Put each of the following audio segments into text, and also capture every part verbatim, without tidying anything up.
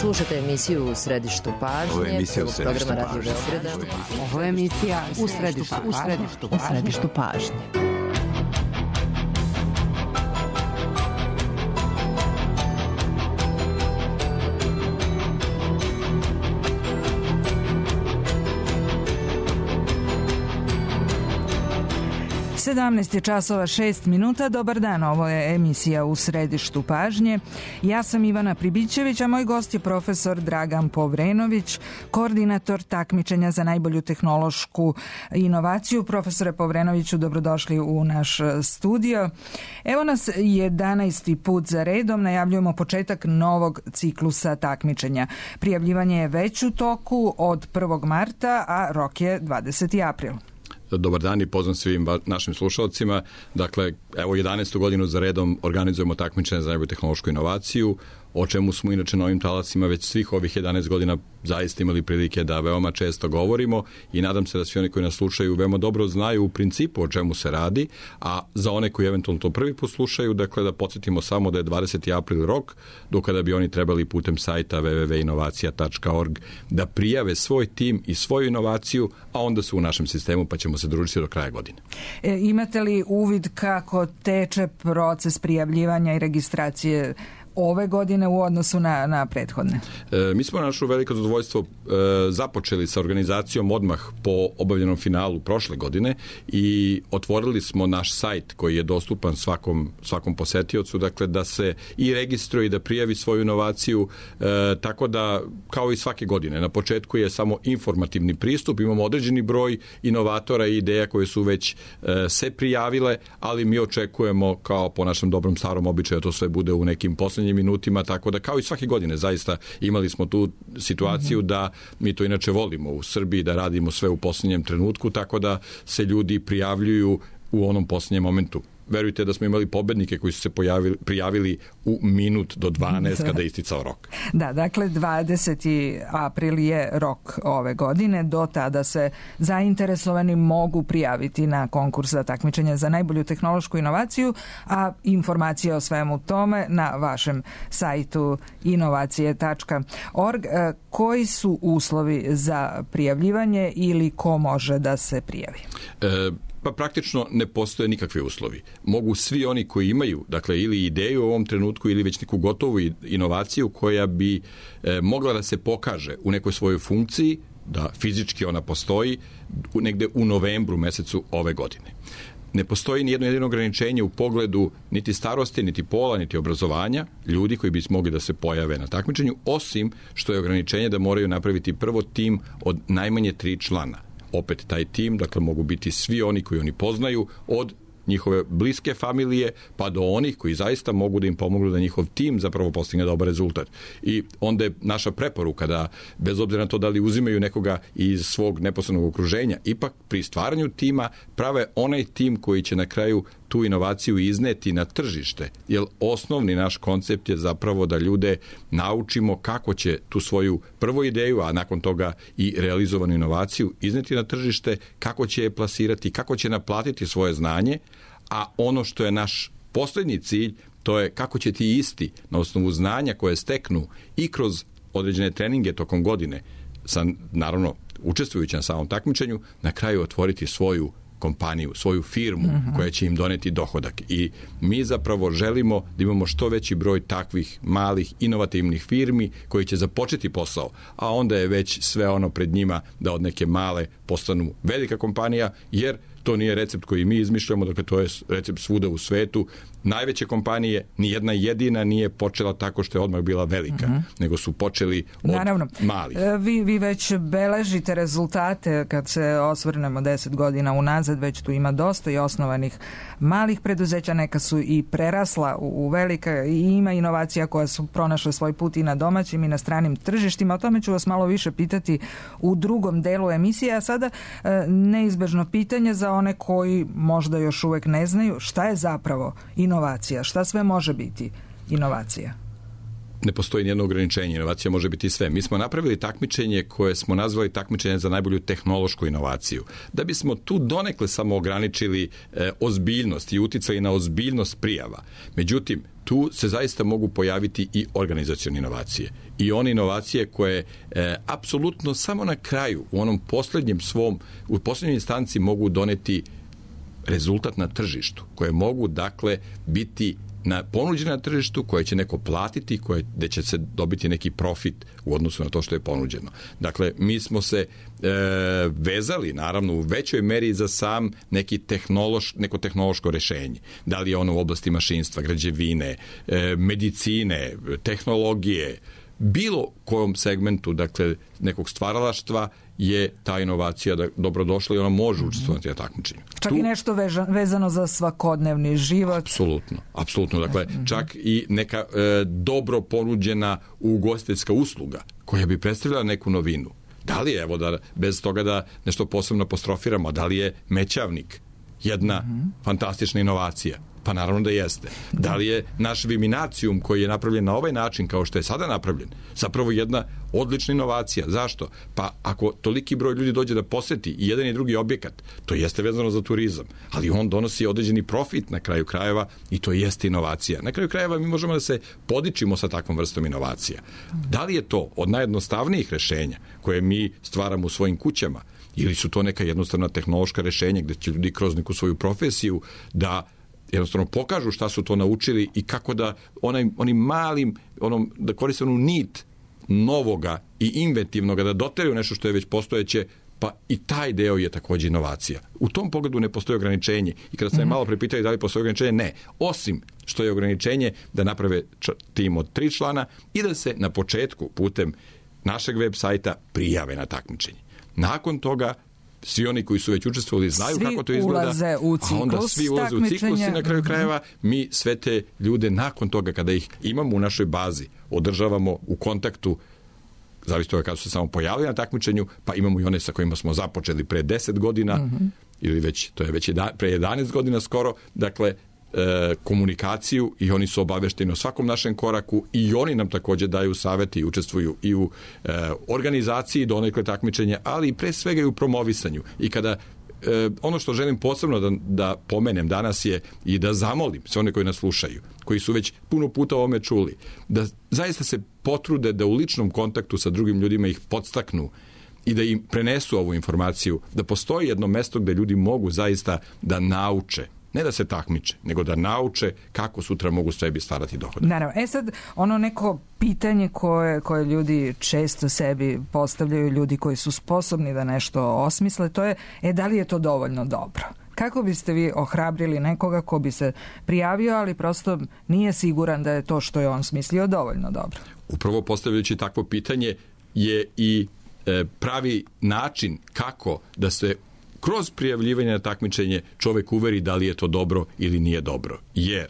Slušajte emisiju U središtu pažnje. Ovo je emisija U središtu pažnje. Ovo je emisija U središtu pažnje. U središtu pažnje. sedamnaest je časova šest minuta. Dobar dan, ovo je emisija U središtu pažnje. Ja sam Ivana Pribićević, a moj gost je profesor Dragan Povrenović, koordinator takmičenja za najbolju tehnološku inovaciju. Profesore Povrenoviću, dobrodošli u naš studio. Evo nas jedanaesti put za redom, najavljujemo početak novog ciklusa takmičenja. Prijavljivanje je već u toku od prvog marta, a rok je dvadeseti april. Dobar dan i pozdrav svim našim slušalcima. Dakle, evo jedanaestu godinu za redom organizujemo takmičenje za najbolju tehnološku inovaciju, o čemu smo inače na ovim talasima već svih ovih jedanaest godina zaista imali prilike da veoma često govorimo i nadam se da svi oni koji nas slušaju veoma dobro znaju u principu o čemu se radi, a za one koji eventualno to prvi put slušaju, dakle da podsjetimo samo da je dvadeseti april rok, do kada bi oni trebali putem sajta w w w tačka inovacija tačka org da prijave svoj tim i svoju inovaciju, a onda su u našem sistemu pa ćemo se družiti do kraja godine. E, imate li uvid kako teče proces prijavljivanja i registracije ove godine u odnosu na, na prethodne? E, mi smo našu veliko zadovoljstvo e, započeli sa organizacijom odmah po obavljenom finalu prošle godine i otvorili smo naš sajt koji je dostupan svakom, svakom posetiocu, dakle da se i registruje i da prijavi svoju inovaciju, e, tako da kao i svake godine na početku je samo informativni pristup, imamo određeni broj inovatora i ideja koje su već e, se prijavile, ali mi očekujemo kao po našem dobrom starom običaju to sve bude u nekim poslednjim minutima, tako da kao i svake godine zaista imali smo tu situaciju da mi to inače volimo u Srbiji, da radimo sve u posljednjem trenutku, tako da se ljudi prijavljuju u onom posljednjem momentu. Verujte da smo imali pobednike koji su se pojavili, prijavili u minut do dvanaest kada je isticao rok. Da, dakle dvadeseti april je rok ove godine. Do tada se zainteresovani mogu prijaviti na konkurs za takmičenje za najbolju tehnološku inovaciju, a informacije o svemu tome na vašem sajtu inovacije tačka org. Koji su uslovi za prijavljivanje ili ko može da se prijavi? E, Pa praktično ne postoje nikakvi uslovi. Mogu svi oni koji imaju, dakle, ili ideju u ovom trenutku ili već neku gotovu inovaciju koja bi e, mogla da se pokaže u nekoj svojoj funkciji, da fizički ona postoji, negde u novembru mesecu ove godine. Ne postoji ni jedno jedino ograničenje u pogledu niti starosti, niti pola, niti obrazovanja ljudi koji bi mogli da se pojave na takmičenju, osim što je ograničenje da moraju napraviti prvo tim od najmanje tri člana. Opet taj tim, dakle mogu biti svi oni koji oni poznaju, od njihove bliske familije pa do onih koji zaista mogu da im pomognu da njihov tim zapravo postigne dobar rezultat. I onda je naša preporuka da, bez obzira na to da li uzimaju nekoga iz svog neposrednog okruženja, ipak pri stvaranju tima prave onaj tim koji će na kraju tu inovaciju izneti na tržište, jer osnovni naš koncept je zapravo da ljude naučimo kako će tu svoju prvu ideju, a nakon toga i realizovanu inovaciju izneti na tržište, kako će je plasirati, kako će naplatiti svoje znanje, a ono što je naš poslednji cilj, to je kako će ti isti na osnovu znanja koje steknu i kroz određene treninge tokom godine, sa, naravno učestvujući na samom takmičenju, na kraju otvoriti svoju kompaniju, svoju firmu uh-huh. koja će im doneti dohodak. I mi zapravo želimo da imamo što veći broj takvih malih, inovativnih firmi koji će započeti posao, a onda je već sve ono pred njima da od neke male postanu velika kompanija, jer to nije recept koji mi izmišljamo, dakle to je recept svuda u svetu. Najveće kompanije, ni jedna jedina nije počela tako što je odmah bila velika, uh-huh. nego su počeli od Naravno, malih. Vi, vi već beležite rezultate kad se osvrnemo deset godina unazad, već tu ima dosta i osnovanih malih preduzeća, neka su i prerasla u, u velika i ima inovacija koja su pronašle svoj put i na domaćim i na stranim tržištima. O tome ću vas malo više pitati u drugom delu emisije, a sada neizbežno pitanje za one koji možda još uvek ne znaju šta je zapravo inovacija, šta sve može biti inovacija. ne postoji nijedno ograničenje, inovacija može biti sve. Mi smo napravili takmičenje koje smo nazvali takmičenje za najbolju tehnološku inovaciju. Da bismo tu donekle samo ograničili e, ozbiljnost i uticali na ozbiljnost prijava. Međutim, tu se zaista mogu pojaviti i organizacione inovacije. I one inovacije koje e, apsolutno samo na kraju, u onom posljednjem svom, u posljednjoj instanci mogu doneti rezultat na tržištu, koje mogu, dakle, biti na ponuđena na tržištu, koje će neko platiti, koje, gde će se dobiti neki profit u odnosu na to što je ponuđeno. Dakle, mi smo se e, vezali, naravno, u većoj meri za sam neki tehnološ, neko tehnološko rešenje. Da li je ono u oblasti mašinstva, građevine, e, medicine, tehnologije, bilo kojom segmentu, dakle, nekog stvaralaštva je ta inovacija da dobrodošla i ona može učestvovati na takmičenju. Čak tu, i nešto veža, vezano za svakodnevni život. Apsolutno, apsolutno. Dakle, čak i neka e, dobro ponuđena ugostiteljska usluga koja bi predstavljala neku novinu. Da li je, evo da bez toga da nešto posebno apostrofiramo, da li je mećavnik jedna mm-hmm. fantastična inovacija? Pa naravno da jeste. Da li je naš Viminacijum koji je napravljen na ovaj način kao što je sada napravljen zapravo jedna odlična inovacija? Zašto? Pa ako toliki broj ljudi dođe da poseti i jedan i drugi objekat, to jeste vezano za turizam, ali on donosi određeni profit na kraju krajeva i to jeste inovacija. Na kraju krajeva mi možemo da se podičimo sa takvom vrstom inovacija. Da li je to od najjednostavnijih rešenja koje mi stvaramo u svojim kućama ili su to neka jednostavna tehnološka rešenja gde će ljudi kroz neku svoju profesiju da jednostavno pokažu šta su to naučili i kako da onaj, onim malim, onom, da koriste onu nit novoga i inventivnoga, da doteraju nešto što je već postojeće, pa i taj deo je također inovacija. U tom pogledu ne postoji ograničenje. I kada ste me malo prepitali da li postoji ograničenje, ne. Osim što je ograničenje da naprave tim od tri člana i da se na početku putem našeg web sajta prijave na takmičenje. Nakon toga svi oni koji su već učestvovali znaju svi kako to izgleda, u ciklus, a onda svi ulaze u ciklus i na kraju krajeva mi sve te ljude nakon toga kada ih imamo u našoj bazi održavamo u kontaktu, zavisno toga kada su se samo pojavili na takmičenju, pa imamo i one sa kojima smo započeli pre deset godina mm-hmm. ili već, to je već jedan, pre jedanaest godina skoro, dakle e, komunikaciju i oni su obavešteni o svakom našem koraku i oni nam također daju savete i učestvuju i u e, organizaciji donekle takmičenja, ali i pre svega i u promovisanju. I kada e, ono što želim posebno da, da pomenem danas je i da zamolim sve one koji nas slušaju, koji su već puno puta o ovome čuli, da zaista se potrude da u ličnom kontaktu sa drugim ljudima ih podstaknu i da im prenesu ovu informaciju, da postoji jedno mesto gde ljudi mogu zaista da nauče, ne da se takmiče, nego da nauče kako sutra mogu sebi stvarati dohodak. Naravno. E sad, ono neko pitanje koje, koje ljudi često sebi postavljaju, ljudi koji su sposobni da nešto osmisle, to je, e, da li je to dovoljno dobro? Kako biste vi ohrabrili nekoga ko bi se prijavio, ali prosto nije siguran da je to što je on smislio dovoljno dobro? Upravo postavljajući takvo pitanje je i e, pravi način kako da se kroz prijavljivanje na takmičenje čovjek uveri da li je to dobro ili nije dobro. Jer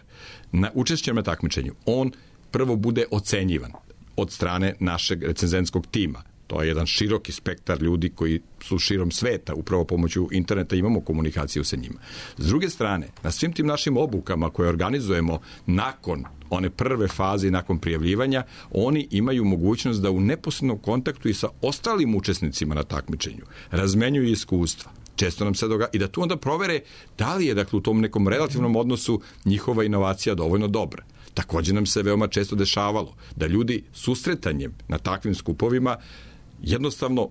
na učešćem na takmičenju on prvo bude ocenjivan od strane našeg recenzentskog tima. To je jedan široki spektar ljudi koji su širom sveta, upravo pomoću interneta imamo komunikaciju sa njima. S druge strane, na svim tim našim obukama koje organizujemo nakon one prve faze, nakon prijavljivanja, oni imaju mogućnost da u neposrednom kontaktu i sa ostalim učesnicima na takmičenju razmenjuju iskustva. Često nam se događa i da tu onda provere da li je, dakle, u tom nekom relativnom odnosu njihova inovacija dovoljno dobra. Također nam se veoma često dešavalo da ljudi susretanjem na takvim skupovima jednostavno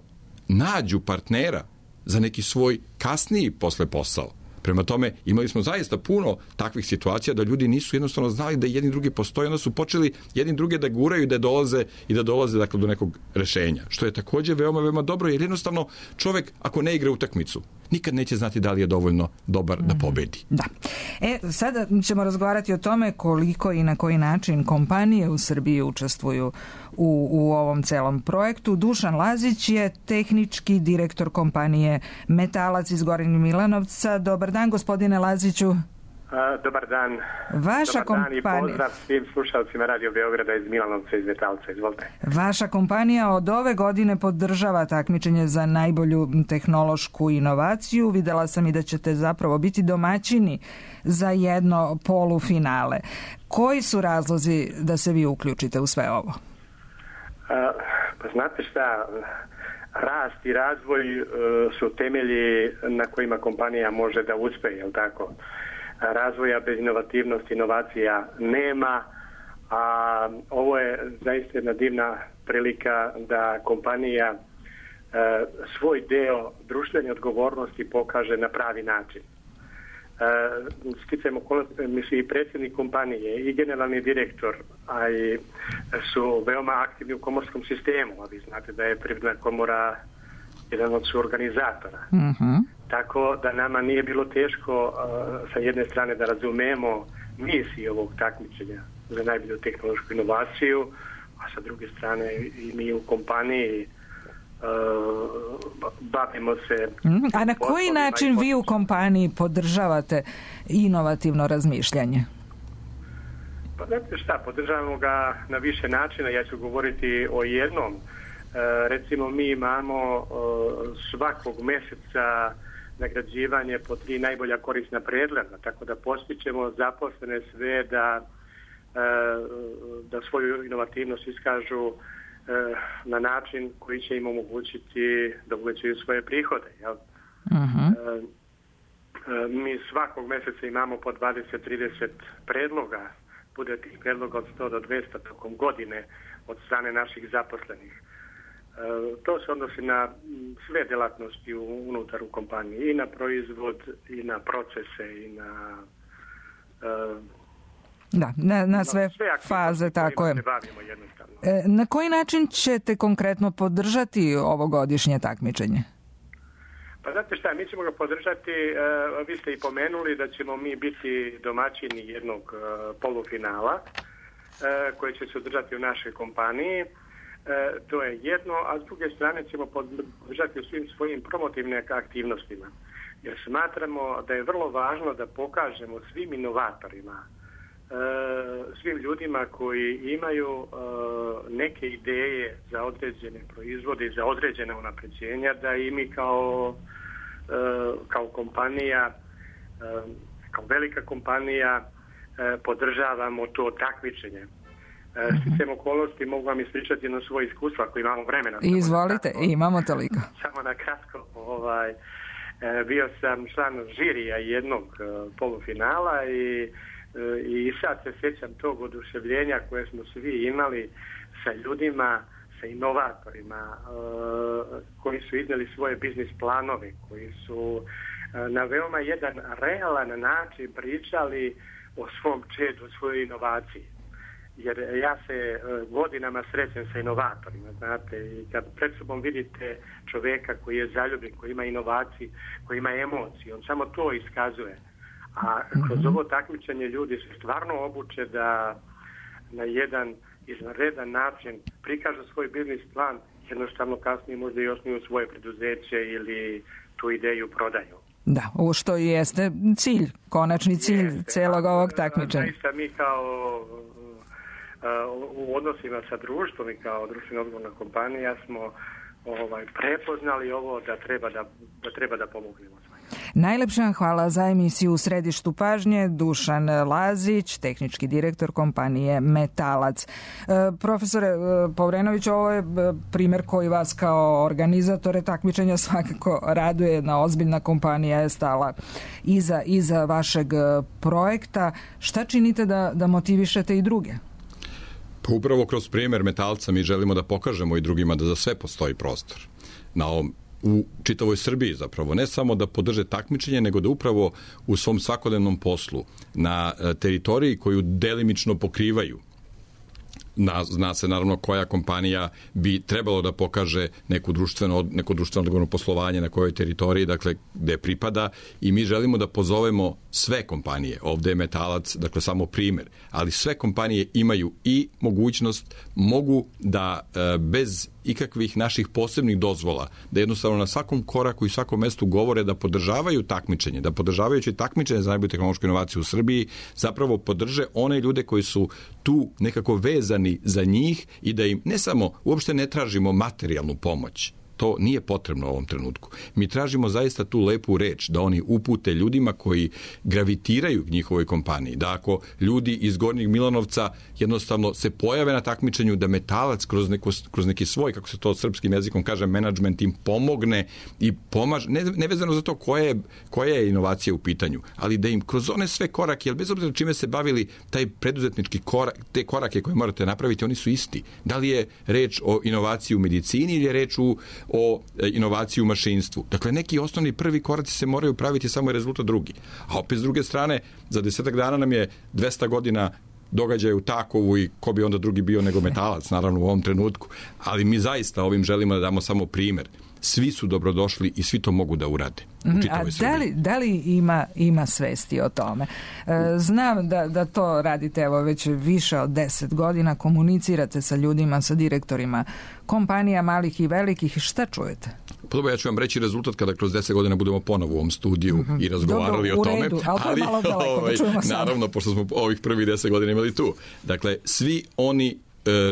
nađu partnera za neki svoj kasniji posle posao. Prema tome, imali smo zaista puno takvih situacija da ljudi nisu jednostavno znali da jedni drugi postoje, onda su počeli jedni druge da guraju i da dolaze i da dolaze, dakle, do nekog rešenja. Što je također veoma, veoma dobro, jer jednostavno čovjek ako ne igra utakmicu, nikad neće znati da li je dovoljno dobar da pobedi. Da. E, sada ćemo razgovarati o tome koliko i na koji način kompanije u Srbiji učestvuju u, u ovom celom projektu. Dušan Lazić je tehnički direktor kompanije Metalac iz Gornjeg Milanovca. Dobar dan, gospodine Laziću. A, dobar dan. Vaša dobar dan kompanija... i pozdrav svim slušalcima Radio Beograda iz Milanovca, iz Metalca. Izvolite. Vaša kompanija od ove godine podržava takmičenje za najbolju tehnološku inovaciju. Videla sam i da ćete zapravo biti domaćini za jedno polufinale. Koji su razlozi da se vi uključite u sve ovo? A, pa znate šta, rast i razvoj uh, su temelji na kojima kompanija može da uspe, jel tako? Razvoja bez inovativnosti, inovacija nema, a ovo je zaista jedna divna prilika da kompanija e, svoj deo društvene odgovornosti pokaže na pravi način. E, sticajem okolnosti, mislim i predsjednik kompanije i generalni direktor, a i su veoma aktivni u komorskom sistemu, a vi znate da je Privredna komora jedan od suorganizatora. Mhm. Tako da nama nije bilo teško uh, sa jedne strane da razumemo misiju ovog takmičenja za najbolju tehnološku inovaciju, a sa druge strane i mi u kompaniji uh, bavimo se... Mm, a na koji način vi u kompaniji podržavate inovativno razmišljanje? Pa znate šta, podržavamo ga na više načina. Ja ću govoriti o jednom. Uh, recimo mi imamo uh, svakog mjeseca nagrađivanje po tri najbolja korisna predloga, tako da postićemo zaposlene sve da, da svoju inovativnost iskažu na način koji će im omogućiti da uvećaju svoje prihode. Jel? Uh-huh. Mi svakog mjeseca imamo po dvadeset do trideset predloga, bude tih predloga od sto do dvjesto tokom godine od strane naših zaposlenih. To se odnosi na sve delatnosti unutar u kompaniji, i na proizvod, i na procese, i na... Uh, da, na, na sve, sve faze, tako je. E, na koji način ćete konkretno podržati ovogodišnje takmičenje? Pa znate šta, mi ćemo ga podržati, uh, vi ste i pomenuli da ćemo mi biti domaćini jednog uh, polufinala uh, koji će se održati u našoj kompaniji. E, to je jedno, a s druge strane ćemo podržati u svim svojim promotivnim aktivnostima. Jer smatramo da je vrlo važno da pokažemo svim inovatorima, e, svim ljudima koji imaju e, neke ideje za određene proizvode i za određene unapređenja, da i mi kao, e, kao kompanija, e, kao velika kompanija e, podržavamo to takmičenje. Sticajem okolnosti mogu vam ispričati jedno svoje iskustvo ako imamo vremena. Izvolite, imamo toliko. Samo na kratko. Ovaj, bio sam član žirija jednog polufinala i, i sad se sjećam tog oduševljenja koje smo svi imali sa ljudima, sa inovatorima koji su iznijeli svoje biznis planove, koji su na veoma jedan realan način pričali o svom čedu, o svojoj inovaciji. Jer ja se godinama srećem sa inovatorima, znate, i kad pred sobom vidite čovjeka koji je zaljubljen, koji ima inovaciju, koji ima emocije, on samo to iskazuje. A kroz ovo takmičenje ljudi se stvarno obuče da na jedan izvanredan način prikažu svoj biznis plan, jednostavno kasnije možda i osnuju svoje preduzeće ili tu ideju prodaju. Da, ovo što jeste cilj, konačni cilj jeste, celog ovog takmičenja. Zaista mi kao u odnosima sa društvom i kao društveno odgovorna kompanija smo ovaj, prepoznali ovo da treba da, da, treba da pomognemo. Najlepša hvala za emisiju U središtu pažnje. Dušan Lazić, tehnički direktor kompanije Metalac. E, profesore Povrenović, ovo je primjer koji vas kao organizatore takmičenja svakako raduje. Jedna ozbiljna kompanija je stala iza, iza vašeg projekta. Šta činite da, da motivišete i druge? Pa upravo kroz primjer Metalca mi želimo da pokažemo i drugima da za sve postoji prostor. Na ovom, u čitavoj Srbiji zapravo, ne samo da podrže takmičenje, nego da upravo u svom svakodnevnom poslu na teritoriji koju delimično pokrivaju, Na, zna se naravno koja kompanija bi trebalo da pokaže neku društveno, neko društveno odgovorno poslovanje na kojoj teritoriji, dakle, gde pripada, i mi želimo da pozovemo sve kompanije. Ovde je Metalac, dakle, samo primjer, ali sve kompanije imaju i mogućnost, mogu da bez ikakvih naših posebnih dozvola, da jednostavno na svakom koraku i svakom mestu govore da podržavaju takmičenje, da podržavajući takmičenje za najbolju tehnološku inovaciju u Srbiji zapravo podrže one ljude koji su tu nekako vezani za njih i da im ne samo, uopšte ne tražimo materijalnu pomoć. To nije potrebno u ovom trenutku. Mi tražimo zaista tu lepu reč, da oni upute ljudima koji gravitiraju k njihovoj kompaniji. Da ako ljudi iz Gornjeg Milanovca jednostavno se pojave na takmičenju, da Metalac kroz, neko, kroz neki svoj, kako se to srpskim jezikom kaže, menadžment im pomogne i pomaže, ne, nevezano za to koja je, koja je inovacija u pitanju, ali da im kroz one sve korake, jer bez obzira čime se bavili, taj preduzetnički korak, te korake koje morate napraviti, oni su isti. Da li je reč o inovaciji u medicini ili je reč u o inovaciji u mašinstvu. Dakle, neki osnovni prvi koraci se moraju praviti, samo je rezultat drugi. A opet s druge strane, za desetak dana nam je dvesta godina događaja u Takovu i ko bi onda drugi bio nego Metalac, naravno u ovom trenutku. Ali mi zaista ovim želimo da damo samo primer. Svi su dobrodošli i svi to mogu da urade. A da li, da li ima, ima svesti o tome? Znam da, da to radite evo već više od deset godina, komunicirate sa ljudima, sa direktorima kompanija malih i velikih. Šta čujete? Podobno, ja ću vam reći rezultat kada kroz deset godina budemo ponovo u ovom studiju mm-hmm. i razgovarali Dobro, o tome. Redu, ali, ali malo daleko, ovaj, da čujemo naravno, pošto smo ovih prvih deset godina imali tu. Dakle, svi oni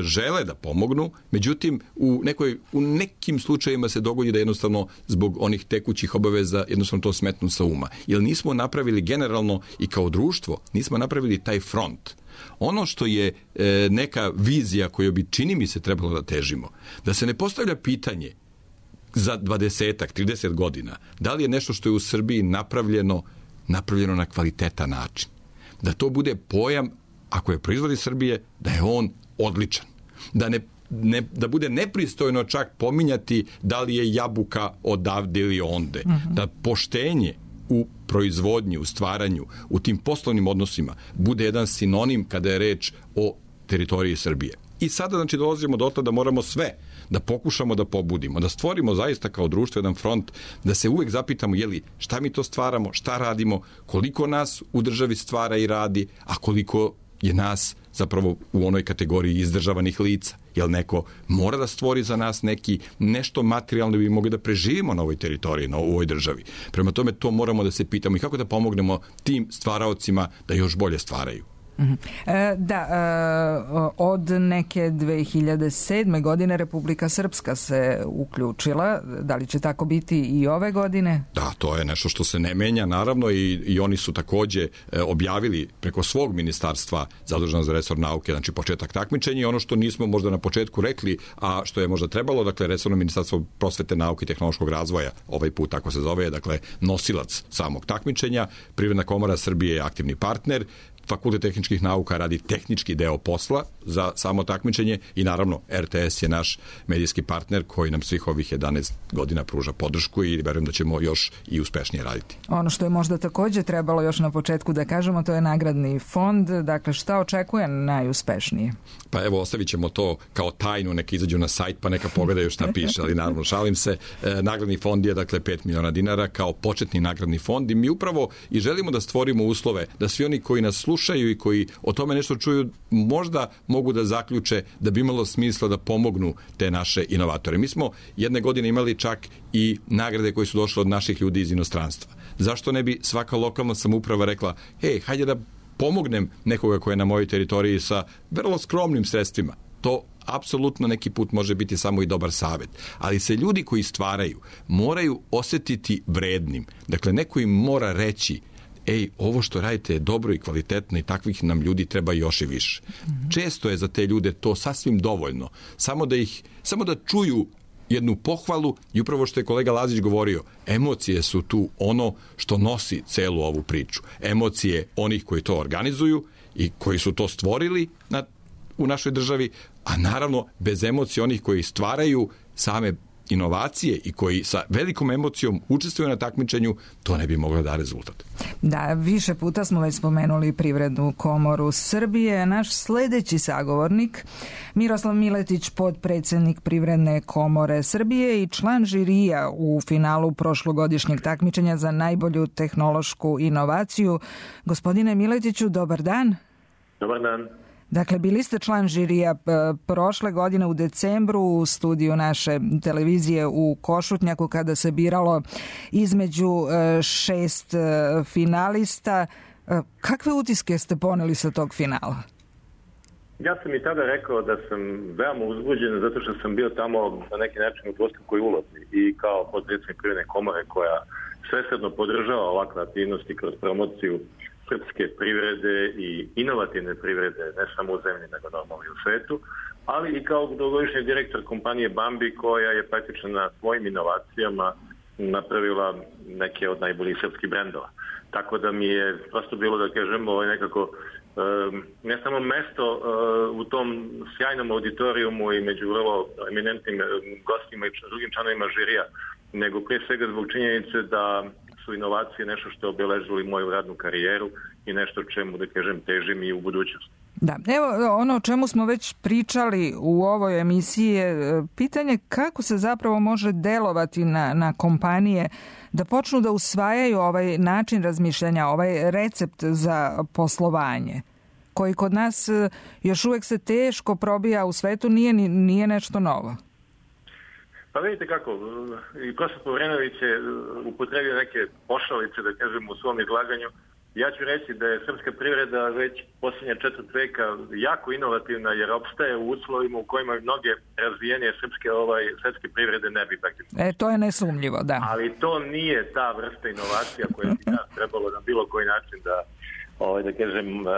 žele da pomognu, međutim u, nekoj, u nekim slučajima se dogodi da jednostavno zbog onih tekućih obaveza jednostavno to smetnu sa uma. Jer nismo napravili generalno i kao društvo, nismo napravili taj front. Ono što je e, neka vizija koju bi, čini mi se, trebalo da težimo, da se ne postavlja pitanje za dvadesetak, trideset godina, da li je nešto što je u Srbiji napravljeno, napravljeno na kvalitetan način. Da to bude pojam, ako je proizvod iz Srbije, da je on odličan. Da, ne, ne, da bude nepristojno čak pominjati da li je jabuka odavde ili onde. Uh-huh. Da poštenje u proizvodnji, u stvaranju, u tim poslovnim odnosima bude jedan sinonim kada je reč o teritoriji Srbije. I sada, znači, dolazimo do toga da moramo sve da pokušamo da pobudimo, da stvorimo zaista kao društvo jedan front, da se uvek zapitamo je li šta mi to stvaramo, šta radimo, koliko nas u državi stvara i radi, a koliko je nas zapravo u onoj kategoriji izdržavanih lica. Jer neko mora da stvori za nas neki nešto materijalno da bi mogli da preživimo na ovoj teritoriji, na ovoj državi. Prema tome to moramo da se pitamo i kako da pomognemo tim stvaraocima da još bolje stvaraju. E, da, e, od neke dve hiljade sedme. godine Republika Srpska se uključila. Da li će tako biti i ove godine? Da, to je nešto što se ne menja, naravno, i, i oni su takođe e, objavili preko svog ministarstva zaduženo za resor nauke, znači početak takmičenja, i ono što nismo možda na početku rekli, a što je možda trebalo, dakle, resorno ministarstvo prosvete, nauke i tehnološkog razvoja, ovaj put tako se zove, dakle, nosilac samog takmičenja. Privredna komora Srbije je aktivni partner, Fakultet tehničkih nauka radi tehnički deo posla za samo takmičenje i naravno R T S je naš medijski partner koji nam svih ovih jedanaest godina pruža podršku i verujem da ćemo još i uspešnije raditi. Ono što je možda takođe trebalo još na početku da kažemo, to je nagradni fond. Dakle, šta očekuje najuspešnije? Pa evo, ostavit ćemo to kao tajnu, neka izađu na sajt pa neka pogledaju šta piše, ali naravno šalim se. E, nagradni fond je dakle pet miliona dinara kao početni nagradni fond i mi upravo i želimo da stvorimo uslove da svi oni koji nas slušaju i koji o tome nešto čuju možda mogu da zaključe da bi imalo smisla da pomognu te naše inovatore. Mi smo jedne godine imali čak i nagrade koje su došle od naših ljudi iz inostranstva. Zašto ne bi svaka lokalna samouprava rekla, hej, hajde da pomognem nekoga ko je na mojoj teritoriji sa vrlo skromnim sredstvima. To apsolutno neki put može biti samo i dobar savjet. Ali se ljudi koji stvaraju moraju osetiti vrednim. Dakle, neko im mora reći, ej, ovo što radite je dobro i kvalitetno i takvih nam ljudi treba još i više. Mm-hmm. Često je za te ljude to sasvim dovoljno. Samo da ih, samo da čuju jednu pohvalu i upravo što je kolega Lazić govorio, emocije su tu ono što nosi celu ovu priču. Emocije onih koji to organizuju i koji su to stvorili na, u našoj državi, a naravno bez emocije onih koji stvaraju same inovacije i koji sa velikom emocijom učestvuju na takmičenju, to ne bi moglo da rezultat. Da, više puta smo već spomenuli Privrednu komoru Srbije. Naš sledeći sagovornik, Miroslav Miletić, podpredsednik Privredne komore Srbije i član žirija u finalu prošlogodišnjeg takmičenja za najbolju tehnološku inovaciju. Gospodine Miletiću, dobar dan. Dobar dan. Dakle, bili ste član žirija prošle godine u decembru u studiju naše televizije u Košutnjaku kada se biralo između šest finalista. Kakve utiske ste poneli sa tog finala? Ja sam i tada rekao da sam veoma uzbuđen zato što sam bio tamo na neki način u dvostrukoj ulozi i kao potpredsjednik Privredne komore koja svesrdno podržava ovakve aktivnosti kroz promociju srpske privrede i inovativne privrede, ne samo u zemlji, nego normalno i u svetu, ali i kao dugogodišnji direktor kompanije Bambi koja je praktično na svojim inovacijama napravila neke od najboljih srpskih brendova. Tako da mi je prosto bilo, da kažemo, ovaj nekako ne samo mesto u tom sjajnom auditorijumu i među vrlo eminentnim gostima i drugim članovima žirija, nego prije svega zbog činjenice da su inovacije nešto što je obeležilo i moju radnu karijeru i nešto čemu, da kažem, težim i u budućnosti. Da, evo ono o čemu smo već pričali u ovoj emisiji je pitanje kako se zapravo može delovati na, na kompanije da počnu da usvajaju ovaj način razmišljanja, ovaj recept za poslovanje, koji kod nas još uvek se teško probija u svetu, nije, nije nešto novo. Pa vidite kako, i profesor Povrenović je upotrebio neke pošalice, da kažem, u svom izlaganju. Ja ću reći da je srpska privreda već posljednja četvrt veka jako inovativna jer opstaje u uslovima u kojima mnoge razvijenije srpske ovaj, svetske privrede ne bi praktično. E, to je nesumnjivo, da. Ali to nije ta vrsta inovacija koja bi nas trebalo na bilo koji način da, ovaj, da kažem, um, um,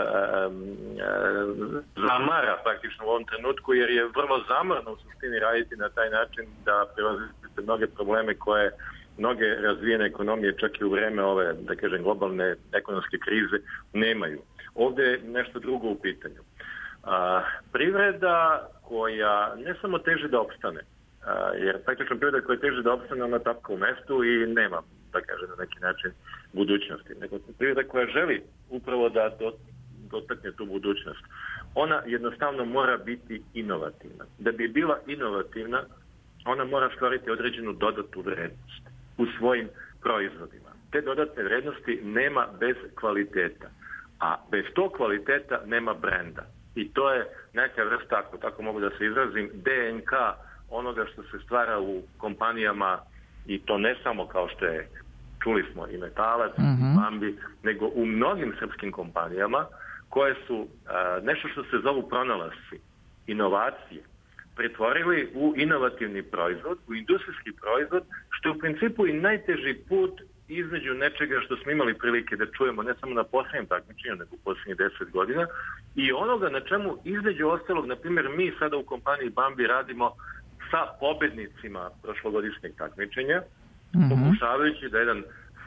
zamara praktično u ovom trenutku jer je vrlo zamorno u suštini raditi na taj način da prevazite mnoge probleme koje mnoge razvijene ekonomije čak i u vreme ove, da kažem, globalne ekonomske krize nemaju. Ovdje je nešto drugo u pitanju. A, privreda koja ne samo teži da opstane, a, jer praktično privreda koja teži da opstane, ona tapka u mestu i nema, da kažem, na neki način budućnosti. Nego privreda koja želi upravo da do, dotakne tu budućnost, ona jednostavno mora biti inovativna. Da bi bila inovativna, ona mora stvoriti određenu dodatnu vrednost u svojim proizvodima. Te dodatne vrednosti nema bez kvaliteta, a bez tog kvaliteta nema brenda. I to je neka vrsta, ako tako mogu da se izrazim, D N K onoga što se stvara u kompanijama i to ne samo kao što je, čuli smo, i Metalac, mm-hmm. i Bambi, nego u mnogim srpskim kompanijama koje su a, nešto što se zovu pronalasci, inovacije, pretvorili u inovativni proizvod, u industrijski proizvod, što je u principu i najteži put između nečega što smo imali prilike da čujemo ne samo na posljednjem takmičenju, nego u posljednjih deset godina, i onoga na čemu između ostalog, na primjer, mi sada u kompaniji Bambi radimo sa pobednicima prošlogodišnjeg takmičenja, mm-hmm. pokušavajući da jedan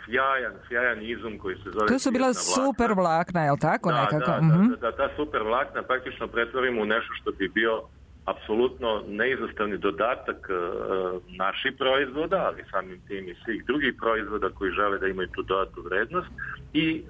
sjajan, sjajan izum koji se zove... To su bila super vlakna, je li tako? Da, nekako? da, mm-hmm. da, da, ta super vlakna praktično pretvorimo u nešto što bi bio apsolutno neizostavni dodatak e, naših proizvoda, ali samim tim i svih drugih proizvoda koji žele da imaju tu dodatnu vrednost i e,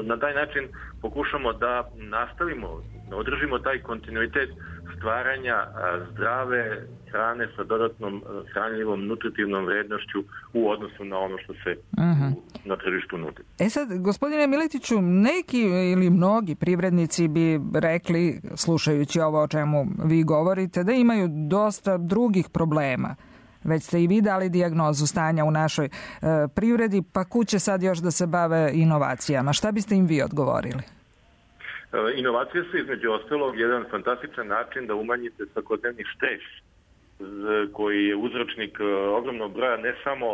na taj način pokušamo da nastavimo, održimo taj kontinuitet stvaranja a, zdrave hrane sa dodatnom hranljivom nutritivnom vrednošću u odnosu na ono što se uh-huh. u, na tržištu nudi. E sad, gospodine Miletiću, neki ili mnogi privrednici bi rekli, slušajući ovo o čemu vi govorite, da imaju dosta drugih problema. Već ste i vi dali dijagnozu stanja u našoj e, privredi, pa kuće sad još da se bave inovacijama. Šta biste im vi odgovorili? Inovacije su između ostalog jedan fantastičan način da umanjite svakodnevni stres koji je uzročnik ogromnog broja ne samo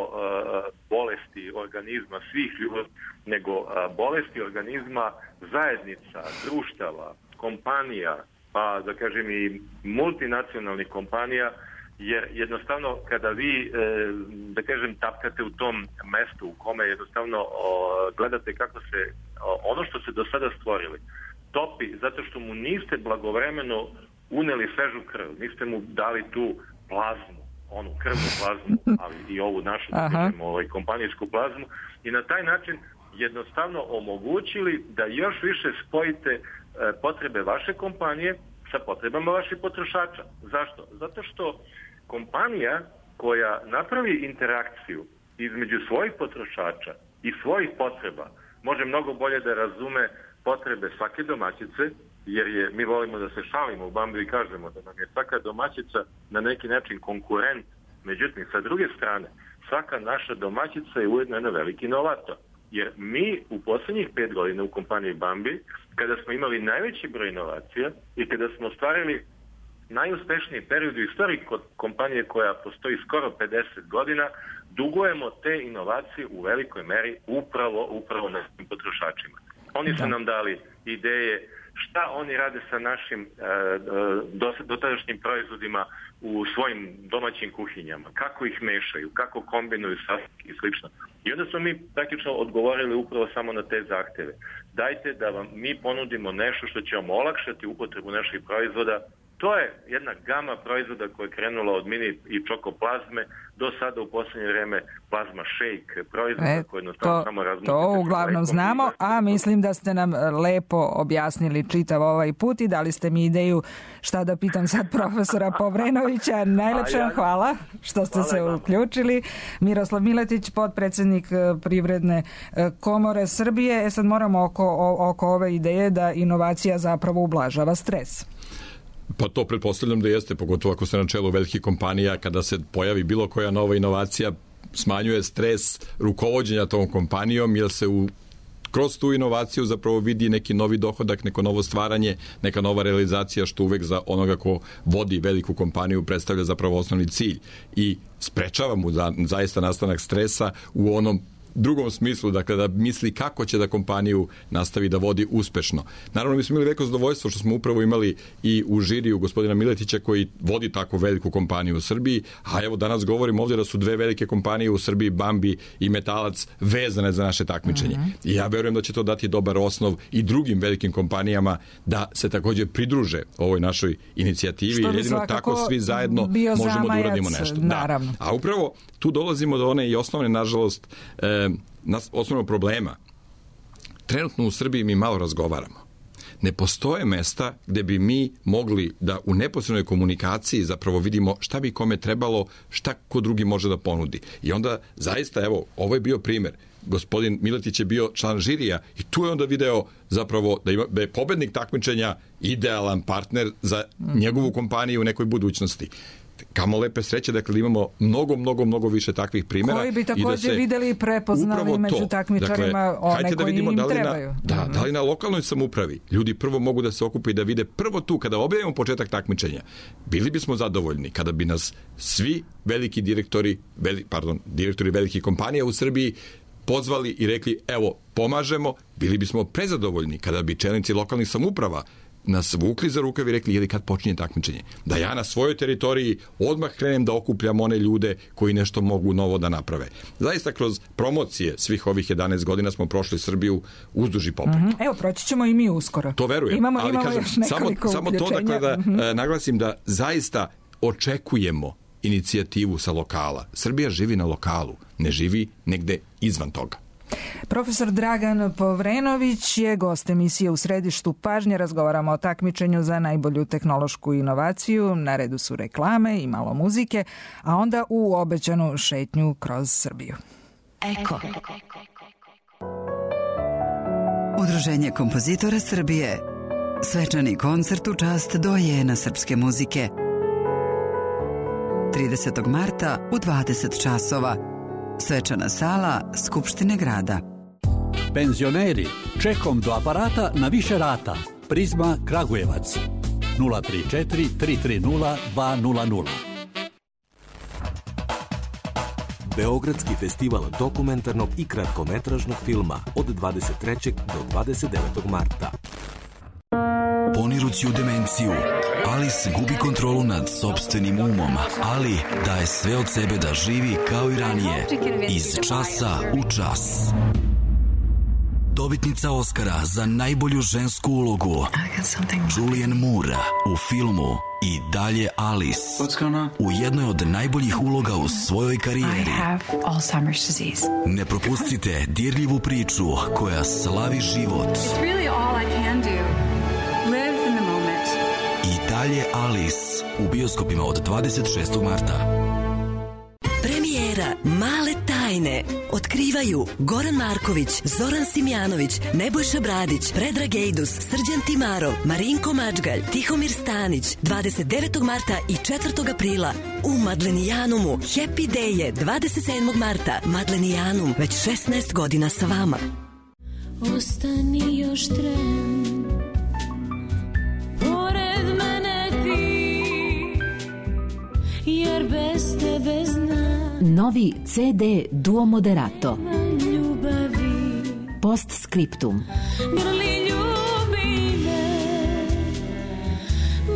bolesti organizma svih ljudi, nego bolesti organizma zajednica, društava, kompanija, pa da kažem i multinacionalnih kompanija, jer jednostavno kada vi, da kažem, tapkate u tom mestu u kome jednostavno gledate kako se ono što se do sada stvorili topi zato što mu niste blagovremeno uneli svežu krv, niste mu dali tu plazmu, onu krvnu plazmu, ali i ovu našu kažemo, ovaj, kompanijsku plazmu, i na taj način jednostavno omogućili da još više spojite e, potrebe vaše kompanije sa potrebama vaših potrošača. Zašto? Zato što kompanija koja napravi interakciju između svojih potrošača i svojih potreba može mnogo bolje da razume potrebe svake domaćice, jer je, mi volimo da se šalimo u Bambi i kažemo da nam je svaka domaćica na neki način konkurent. Međutim, sa druge strane, svaka naša domaćica je ujedno jedan veliki inovator. Jer mi u posljednjih pet godina u kompaniji Bambi, kada smo imali najveći broj inovacija i kada smo ostvarili najuspešniji period u istoriji kod kompanije koja postoji skoro pedeset godina, dugujemo te inovacije u velikoj meri upravo, upravo našim potrošačima. Oni su nam dali ideje šta oni rade sa našim e, dotadašnjim proizvodima u svojim domaćim kuhinjama, kako ih mešaju, kako kombinuju sastojke i slično. I onda smo mi praktično odgovorili upravo samo na te zahteve. Dajte da vam mi ponudimo nešto što će vam olakšati upotrebu naših proizvoda. To je jedna gama proizvoda koja je krenula od mini i čokoplazme do sada u posljednje vrijeme plazma shake proizvoda e, koje jednostavno samo razmušite. To uglavnom znamo, a mislim da ste nam lepo objasnili čitav ovaj put i dali ste mi ideju šta da pitam sad profesora Povrenovića. Najlepše vam hvala što ste se uključili. Miroslav Miletić, potpredsjednik Privredne komore Srbije. E sad moramo oko, oko ove ideje da inovacija zapravo ublažava stres. Pa to pretpostavljam da jeste, pogotovo ako ste na čelu velikih kompanija, kada se pojavi bilo koja nova inovacija, smanjuje stres rukovođenja tom kompanijom, jer se u, kroz tu inovaciju zapravo vidi neki novi dohodak, neko novo stvaranje, neka nova realizacija, što uvek za onoga ko vodi veliku kompaniju predstavlja zapravo osnovni cilj i sprečava mu za, zaista nastanak stresa u onom drugom smislu, dakle da misli kako će da kompaniju nastavi da vodi uspešno. Naravno, mi smo imali veliko zadovoljstvo što smo upravo imali i u žiriju gospodina Miletića koji vodi tako veliku kompaniju u Srbiji, a evo danas govorimo ovdje da su dve velike kompanije u Srbiji, Bambi i Metalac, vezane za naše takmičenje. Mm-hmm. I ja verujem da će to dati dobar osnov i drugim velikim kompanijama da se također pridruže ovoj našoj inicijativi. Jedino tako svi zajedno možemo da uradimo nešto. Da. A upravo tu dolazimo do one i osnovne, nažalost, e, osnovnog problema. Trenutno u Srbiji mi malo razgovaramo. Ne postoje mesta gde bi mi mogli da u neposrednoj komunikaciji zapravo vidimo šta bi kome trebalo, šta ko drugi može da ponudi. I onda zaista, evo, ovo je bio primjer. Gospodin Miletić je bio član žirija i tu je onda video zapravo da, ima, da je pobednik takmičenja idealan partner za njegovu kompaniju u nekoj budućnosti. Kamo lepe sreće, dakle imamo mnogo, mnogo, mnogo više takvih primjera. Koji bi također da videli i prepoznali među takmičarima, dakle, one koji im da trebaju. Na, da, mm-hmm. da li na lokalnoj samoupravi ljudi prvo mogu da se okupe i da vide prvo tu, kada objavimo početak takmičenja, bili bismo zadovoljni kada bi nas svi veliki direktori, veli, pardon, direktori velikih kompanija u Srbiji pozvali i rekli, evo, pomažemo, bili bismo prezadovoljni kada bi čelnici lokalnih samouprava nas vukli za rukav i rekli, jeli kad počinje takmičenje? Da ja na svojoj teritoriji odmah krenem da okupljam one ljude koji nešto mogu novo da naprave. Zaista kroz promocije svih ovih jedanaest godina smo prošli Srbiju uzduž i poput. Mm-hmm. Evo, proći ćemo i mi uskoro. To verujem. Imamo, ali imamo kažem, još nekoliko samo, samo to dakle da mm-hmm. e, naglasim da zaista očekujemo inicijativu sa lokala. Srbija živi na lokalu, ne živi negde izvan toga. Profesor Dragan Povrenović je gost emisije U središtu pažnje. Razgovaramo o takmičenju za najbolju tehnološku inovaciju. Na redu su reklame i malo muzike, a onda u obećanu šetnju kroz Srbiju. Eko. Udruženje kompozitora Srbije. Svečani koncert u čast dojena srpske muzike. tridesetog marta u dvadeset časova. Svečana sala Skupštine grada. Penzioneri, čekom do aparata na više rata. Prizma Kragujevac. nula tri četiri tri tri nula dva nula nula. Beogradski festival dokumentarnog i kratkometražnog filma od dvadeset trećeg do dvadeset devetog marta. Ponirući u demenciju, Alice gubi kontrolu nad sopstvenim umom, ali daje sve od sebe da živi kao i ranije, iz časa u čas. Dobitnica Oscara za najbolju žensku ulogu Julianne Moore u filmu I dalje Alice, u jednoj od najboljih uloga u svojoj karijeri. Ne propustite dirljivu priču koja slavi život. I dalje Alice u bioskopima od dvadeset šestog marta. Premijera Male tajne tajne otkrivaju Goran Marković, Zoran Simjanović, Nebojša Bradić, Predrag Ejdus, Srđan Timarov, Marinko Mačgalj, Tihomir Stanić, dvadeset devetog marta i četvrtog aprila u Madlenijanumu. Happy Day je dvadeset sedmog marta. Madlenijanum, već šesnaest godina sa vama. Ostani još tren, pored mene ti, jer bez tebe znam. Novi ce de Duo Moderato. Ljubavi. Postscriptum. Grli ljubi me,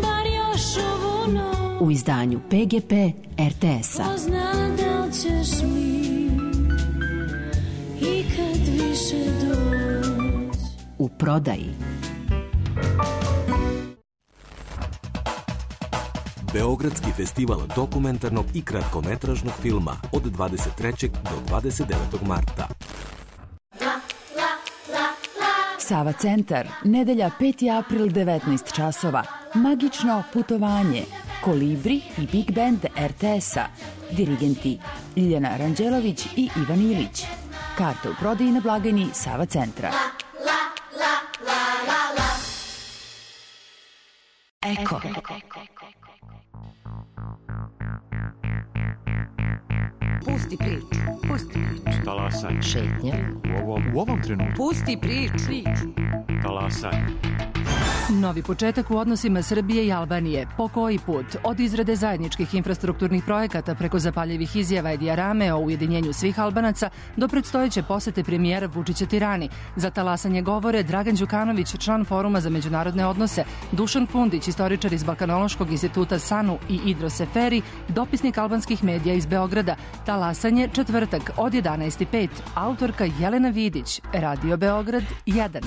bar još ovu noć. U izdanju pe ge pe er te es-a. Ko zna da li ćeš mi ikad više doći. U prodaji. Beogradski festival dokumentarnog i kratkometražnog filma od dvadeset trećeg do dvadeset devetog marta. Sava centar, nedelja peti april, devetnaest časova. Magično putovanje. Kolibri i Big Band er te es-a. Dirigenti Ljiljana Ranđelović i Ivan Ilić. Karte u prodaji na blagajni Sava centra. Eko. Pusti priču. Pusti priču. Talasanje. Šetnja. U ovom, u ovom trenutku. Pusti priču. Talasanje. Novi početak u odnosima Srbije i Albanije. Po koji put? Od izrade zajedničkih infrastrukturnih projekata preko zapaljivih izjava Edija Rame o ujedinjenju svih Albanaca do predstojeće posete premijera Vučića Tirani. Za talasanje govore Dragan Đukanović, član Foruma za međunarodne odnose, Dušan Fundić, istoričar iz Balkanološkog instituta SANU i Idro Seferi, dopisnik albanskih medija iz Beograda. Talasanje četvrtak od jedanaest i pet. Autorka Jelena Vidić, Radio Beograd jedan.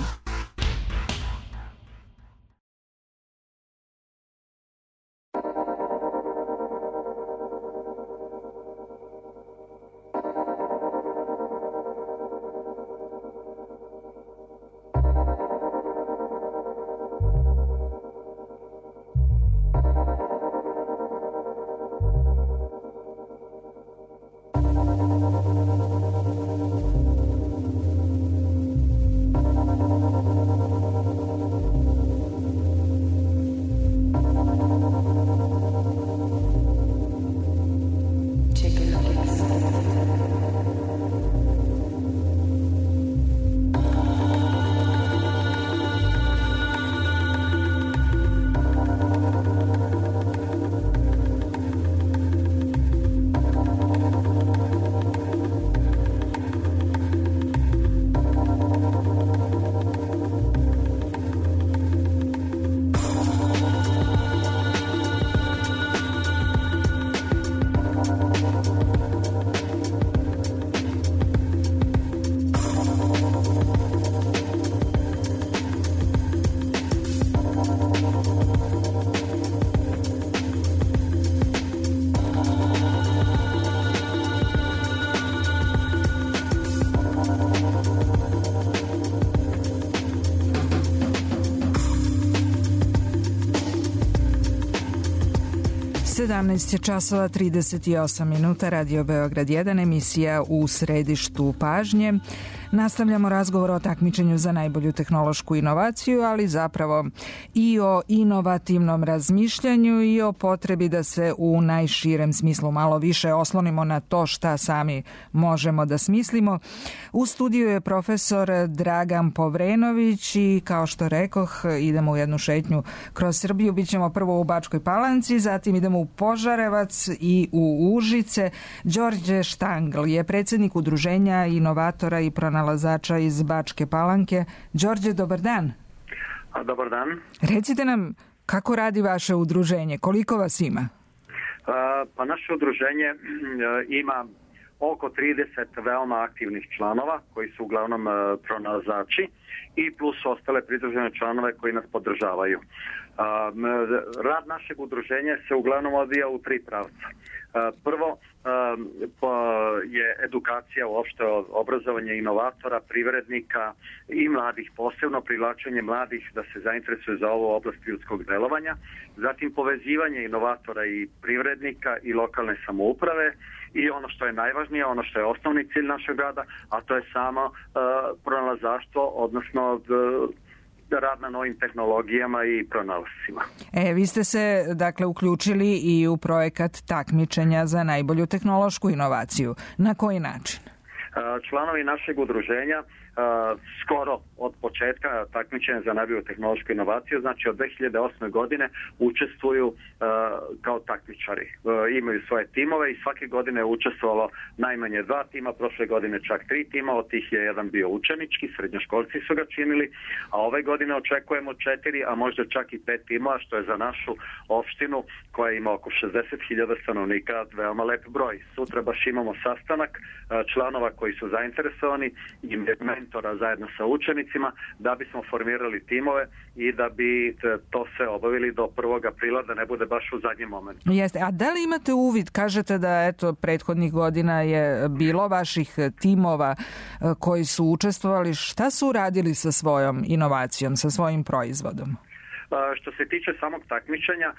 sedamnaest časova trideset osam minuta, Radio Beograd jedan, emisija U središtu pažnje. Nastavljamo razgovor o takmičenju za najbolju tehnološku inovaciju, ali zapravo i o inovativnom razmišljanju i o potrebi da se u najširem smislu malo više oslonimo na to šta sami možemo da smislimo. U studiju je profesor Dragan Povrenović i kao što rekoh, idemo u jednu šetnju kroz Srbiju. Bićemo prvo u Bačkoj Palanci, zatim idemo u Požarevac i u Užice. Đorđe Štangl je predsjednik Udruženja inovatora i pronalazača iz Bačke Palanke. Đorđe, dobar dan. A, dobar dan. Recite nam kako radi vaše udruženje, koliko vas ima? A, pa naše udruženje ima oko trideset veoma aktivnih članova koji su uglavnom pronalazači i plus ostale pridružene članove koji nas podržavaju. Rad našeg udruženja se uglavnom odvija u tri pravca. Prvo, je edukacija uopšte obrazovanje inovatora, privrednika i mladih, posebno privlačenje mladih da se zainteresuju za ovu oblast ljudskog delovanja, zatim povezivanje inovatora i privrednika i lokalne samouprave i ono što je najvažnije, ono što je osnovni cilj našeg rada, a to je samo uh, pronalazaštvo, odnosno uh, rad na novim tehnologijama i pronalascima. E, vi ste se dakle uključili i u projekat takmičenja za najbolju tehnološku inovaciju. Na koji način? Članovi našeg udruženja Uh, skoro od početka takmičenja za najbolju tehnološku inovaciju, znači od dve hiljade osme godine učestvuju uh, kao takmičari. Uh, imaju svoje timove i svake godine je učestvovalo najmanje dva tima, prošle godine čak tri tima, od tih je jedan bio učenički, srednjoškolci su ga činili, a ove godine očekujemo četiri, a možda čak i pet timova, što je za našu opštinu koja ima oko šezdeset hiljada stanovnika veoma lep broj. Sutra baš imamo sastanak uh, članova koji su zainteresovani i mentora zajedno sa učenicima da bismo formirali timove i da bi to sve obavili do prvog aprila, da ne bude baš u zadnjem momentu. Jeste, a da li imate uvid, kažete da eto prethodnih godina je bilo vaših timova koji su učestvovali, šta su uradili sa svojom inovacijom, sa svojim proizvodom? Što se tiče samog takmičenja,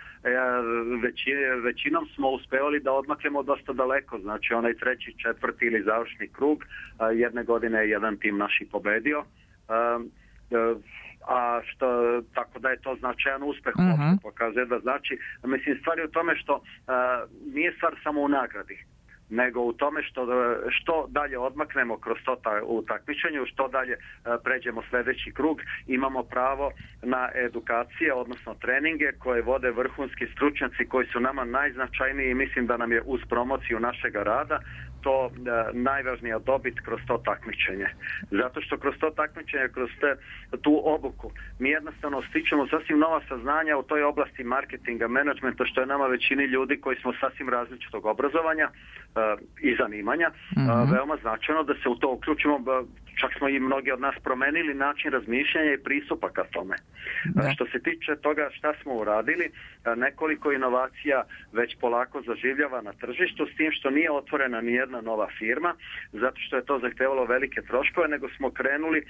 većinom smo uspevali da odmaknemo dosta daleko, znači onaj treći, četvrti ili završni krug, jedne godine je jedan tim naš i pobedio, a što, tako da je to značajan uspeh, uh-huh. pokazuje da znači, mislim, stvar je u tome što nije stvar samo u nagradi, nego u tome što, što dalje odmaknemo kroz to ta, u takmičenju, što dalje pređemo sljedeći krug, imamo pravo na edukacije, odnosno treninge koje vode vrhunski stručnjaci koji su nama najznačajniji i mislim da nam je uz promociju našega rada to e, najvažnija dobit kroz to takmičenje. Zato što kroz to takmičenje, kroz te, tu obuku, mi jednostavno stičemo sasvim nova saznanja u toj oblasti marketinga, menadžmenta, što je nama većini ljudi koji smo sasvim različitog obrazovanja e, i zanimanja, mm-hmm. e, veoma značajno da se u to uključimo. Čak smo i mnogi od nas promenili način razmišljanja i pristupa ka tome. Da. Što se tiče toga šta smo uradili, nekoliko inovacija već polako zaživljava na tržištu, s tim što nije otvorena ni jedna nova firma, zato što je to zahtevalo velike troškove, nego smo krenuli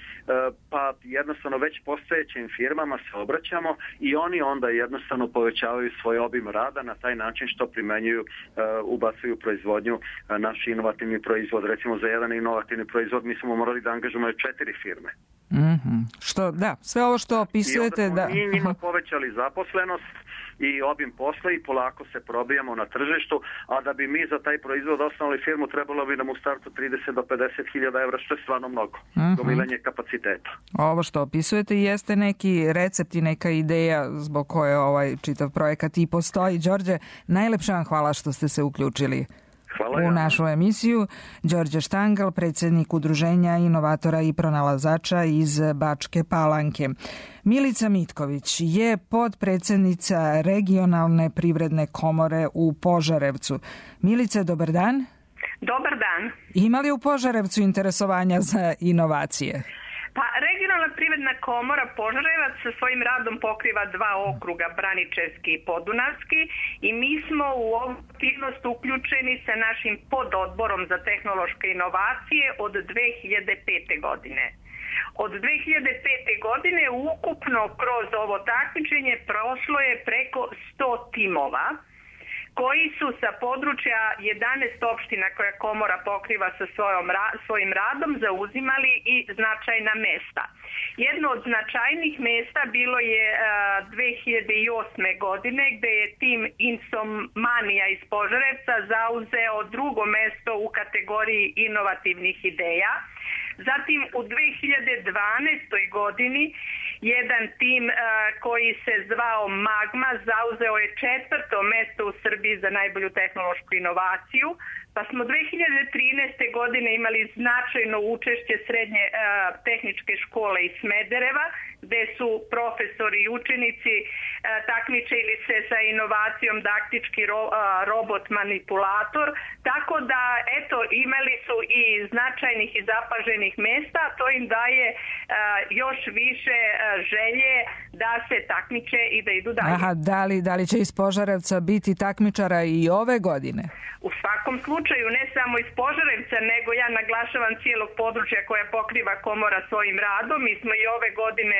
pa jednostavno već postojećim firmama se obraćamo i oni onda jednostavno povećavaju svoj obim rada na taj način što primenjuju, ubacuju proizvodnju naš inovativni proizvod. Recimo za jedan inovativni proizvod mi smo morali da angažujemo četiri firme. Mm-hmm. Što, da, sve ovo što opisujete... I onda smo da... mi njima povećali zaposlenost i obim posla i polako se probijamo na tržištu, a da bi mi za taj proizvod osnovali firmu trebalo bi nam u startu trideset do pedeset hiljada evra, što je stvarno mnogo. Mm-hmm. Gomilanje kapaciteta. Ovo što opisujete jeste neki recept i neka ideja zbog koje ovaj čitav projekat i postoji. Đorđe, najlepša vam hvala što ste se uključili Hvala u našu emisiju. Đorđe Štangal, predsjednik Udruženja inovatora i pronalazača iz Bačke Palanke. Milica Mitković je podpredsjednica regionalne privredne komore u Požarevcu. Milice, dobar dan. Dobar dan. Ima li u Požarevcu interesovanja za inovacije? Pa, regionalna privredna komora Požarevac sa svojim radom pokriva dva okruga, Braničevski i Podunavski, i mi smo u ovu aktivnost uključeni sa našim pododborom za tehnološke inovacije od dve hiljade pete. godine. Od dve hiljade pete. godine ukupno kroz ovo takmičenje prošlo je preko sto timova, koji su sa područja jedanaest opština koja komora pokriva sa svojom, svojim radom zauzimali i značajna mesta. Jedno od značajnih mesta bilo je uh, dve hiljade osme. godine gde je tim Insomania iz Požarevca zauzeo drugo mesto u kategoriji inovativnih ideja. Zatim u dve hiljade dvanaestoj. godini jedan tim uh, koji se zvao Magma zauzeo je četvrto mesto u Srbiji za najbolju tehnološku inovaciju, pa smo dve hiljade trinaeste. godine imali značajno učešće srednje uh, tehničke škole iz Smedereva, gde su profesori i učenici uh, takmičili se sa inovacijom daktički ro, uh, robot manipulator, tako da eto imali su i značajnih i zapaženih mesta, to im daje uh, još više uh, želje da se takmiče i da idu dalje. Aha, da li, da li će iz Požarevca biti takmičara i ove godine? U svakom slučaju slučaju ne samo iz Požarevca, nego ja naglašavam cijelog područja koja pokriva komora svojim radom. Mi smo i ove godine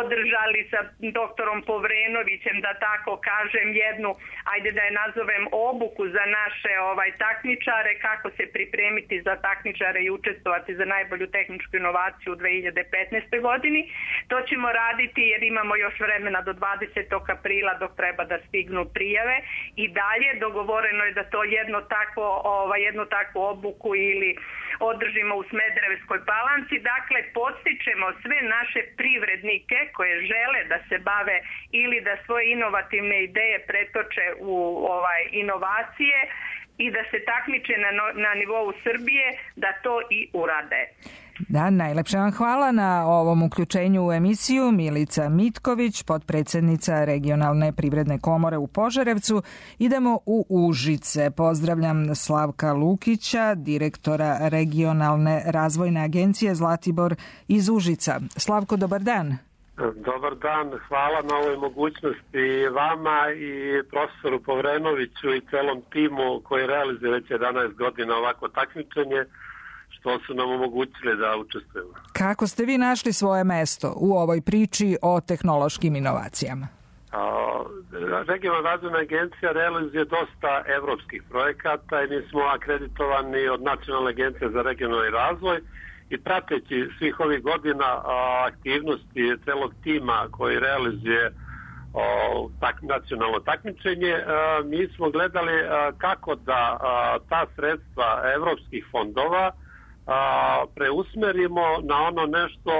održali sa doktorom Povrenovićem, da tako kažem, jednu, ajde da je nazovem, obuku za naše ovaj takmičare, kako se pripremiti za takmičare i učestvovati za najbolju tehničku inovaciju u dve hiljade petnaestoj. godini. To ćemo raditi jer imamo još vremena do dvadesetog aprila dok treba da stignu prijave i dalje dogovoreno je da to jedno takvo, ovaj, jednu takvu obuku ili održimo u Smederevskoj Palanci. Dakle, podstičemo sve naše privrednike koje žele da se bave ili da svoje inovativne ideje pretoče u ovaj inovacije i da se takmiče na, na nivou Srbije, da to i urade. Da, najlepše vam hvala na ovom uključenju u emisiju. Milica Mitković, potpredsjednica Regionalne privredne komore u Požarevcu. Idemo u Užice. Pozdravljam Slavka Lukića, direktora Regionalne razvojne agencije Zlatibor iz Užica. Slavko, dobar dan. Dobar dan, hvala na ovoj mogućnosti vama i profesoru Povrenoviću i celom timu koji realizuje već jedanaest godina ovako takmičenje, što su nam omogućili da učestvujemo. Kako ste vi našli svoje mesto u ovoj priči o tehnološkim inovacijama? Regionalna razvojna agencija realizuje dosta evropskih projekata i mi smo akreditovani od Nacionalne agencije za regionalni razvoj i prateći svih ovih godina aktivnosti celog tima koji realizuje tak, nacionalno takmičenje, mi smo gledali kako da ta sredstva evropskih fondova preusmerimo na ono nešto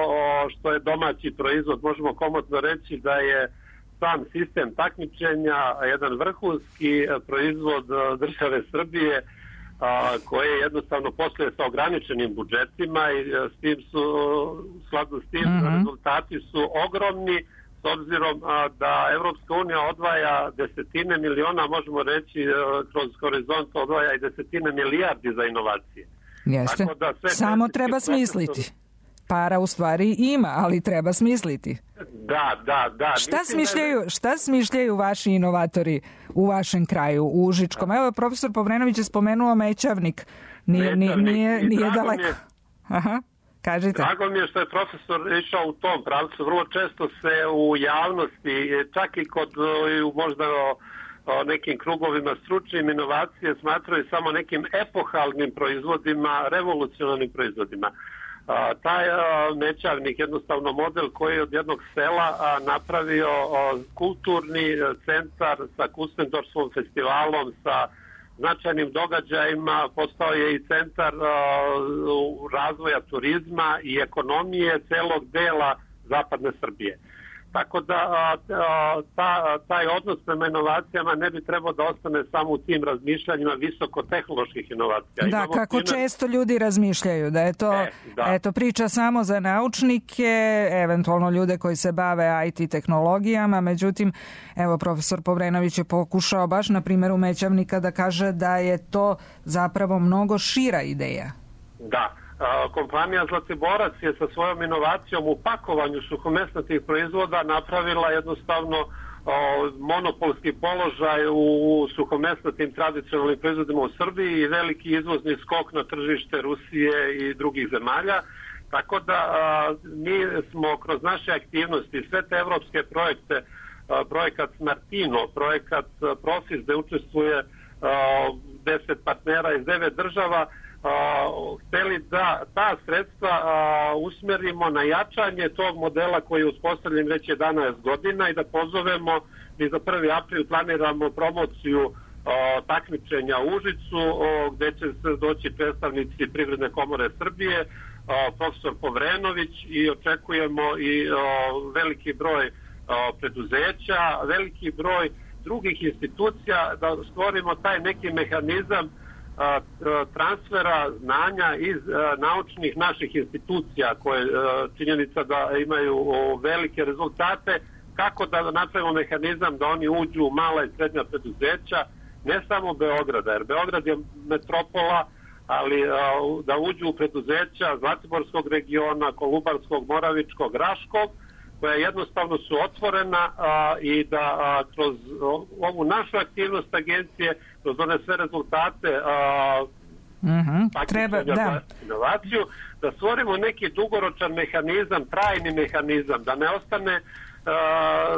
što je domaći proizvod. Možemo komotno reći da je sam sistem takmičenja jedan vrhunski proizvod države Srbije koje jednostavno posluje sa ograničenim budžetima i s tim su, skladno s tim, mm-hmm. rezultati su ogromni, s obzirom da Evropska unija odvaja desetine miliona, možemo reći kroz horizont odvaja i desetine milijardi za inovacije. Jeste, tako da sve samo treba smisliti. Profesor... Para u stvari ima, ali treba smisliti. Da, da, da. Šta smišljaju, da... šta smišljaju vaši inovatori u vašem kraju, u Užičkom? Evo, profesor Povrenović je spomenuo Mećavnik. Nije, nije, nije, nije daleko. Je, Aha, kažite. Drago mi je što je profesor išao u tom pravcu. Vrlo često se u javnosti, čak i kod možda o nekim krugovima stručnim inovacije smatraju samo nekim epohalnim proizvodima, revolucionarnim proizvodima. A, taj a, Mećavnik, jednostavno model koji je od jednog sela a, napravio a, kulturni centar sa Kustendorskom festivalom, sa značajnim događajima, postao je i centar a, razvoja turizma i ekonomije celog dela zapadne Srbije. Tako da a, a, ta, taj odnos prema inovacijama ne bi trebao da ostane samo u tim razmišljanjima visokotehnoloških inovacija. Da, Imamo kako primjer... često ljudi razmišljaju, da je to e, da. eto, priča samo za naučnike, eventualno ljude koji se bave I T tehnologijama, međutim, evo, profesor Povrenović je pokušao baš na primjeru Mećavnika da kaže da je to zapravo mnogo šira ideja. Da. Kompanija Zlatiborac je sa svojom inovacijom u pakovanju suhomesnatih proizvoda napravila jednostavno monopolski položaj u suhomesnatim tradicionalnim proizvodima u Srbiji i veliki izvozni skok na tržište Rusije i drugih zemalja. Tako da mi smo kroz naše aktivnosti, sve te evropske projekte, projekat Smartino, projekat Profis, gde učestvuje deset partnera iz devet država, Uh, hteli da ta sredstva uh, usmerimo na jačanje tog modela koji je uspostavljen već jedanaest godina i da pozovemo, mi za prvi april planiramo promociju uh, takmičenja u Užicu, uh, gde će se doći predstavnici Privredne komore Srbije, uh, profesor Povrenović, i očekujemo i uh, veliki broj uh, preduzeća, veliki broj drugih institucija, da stvorimo taj neki mehanizam transfera znanja iz naučnih naših institucija koje činjenica da imaju velike rezultate, kako da napravimo mehanizam da oni uđu u mala i srednja preduzeća, ne samo Beograda, jer Beograd je metropola, ali da uđu u preduzeća Zlatiborskog regiona, Kolubarskog, Moravičkog, Raškog, koja jednostavno su otvorena a, i da a, kroz ovu našu aktivnost agencije, kroz one sve rezultate a, Mm-hmm. Treba, da. Inovaciju, da stvorimo neki dugoročan mehanizam, trajni mehanizam, da ne ostane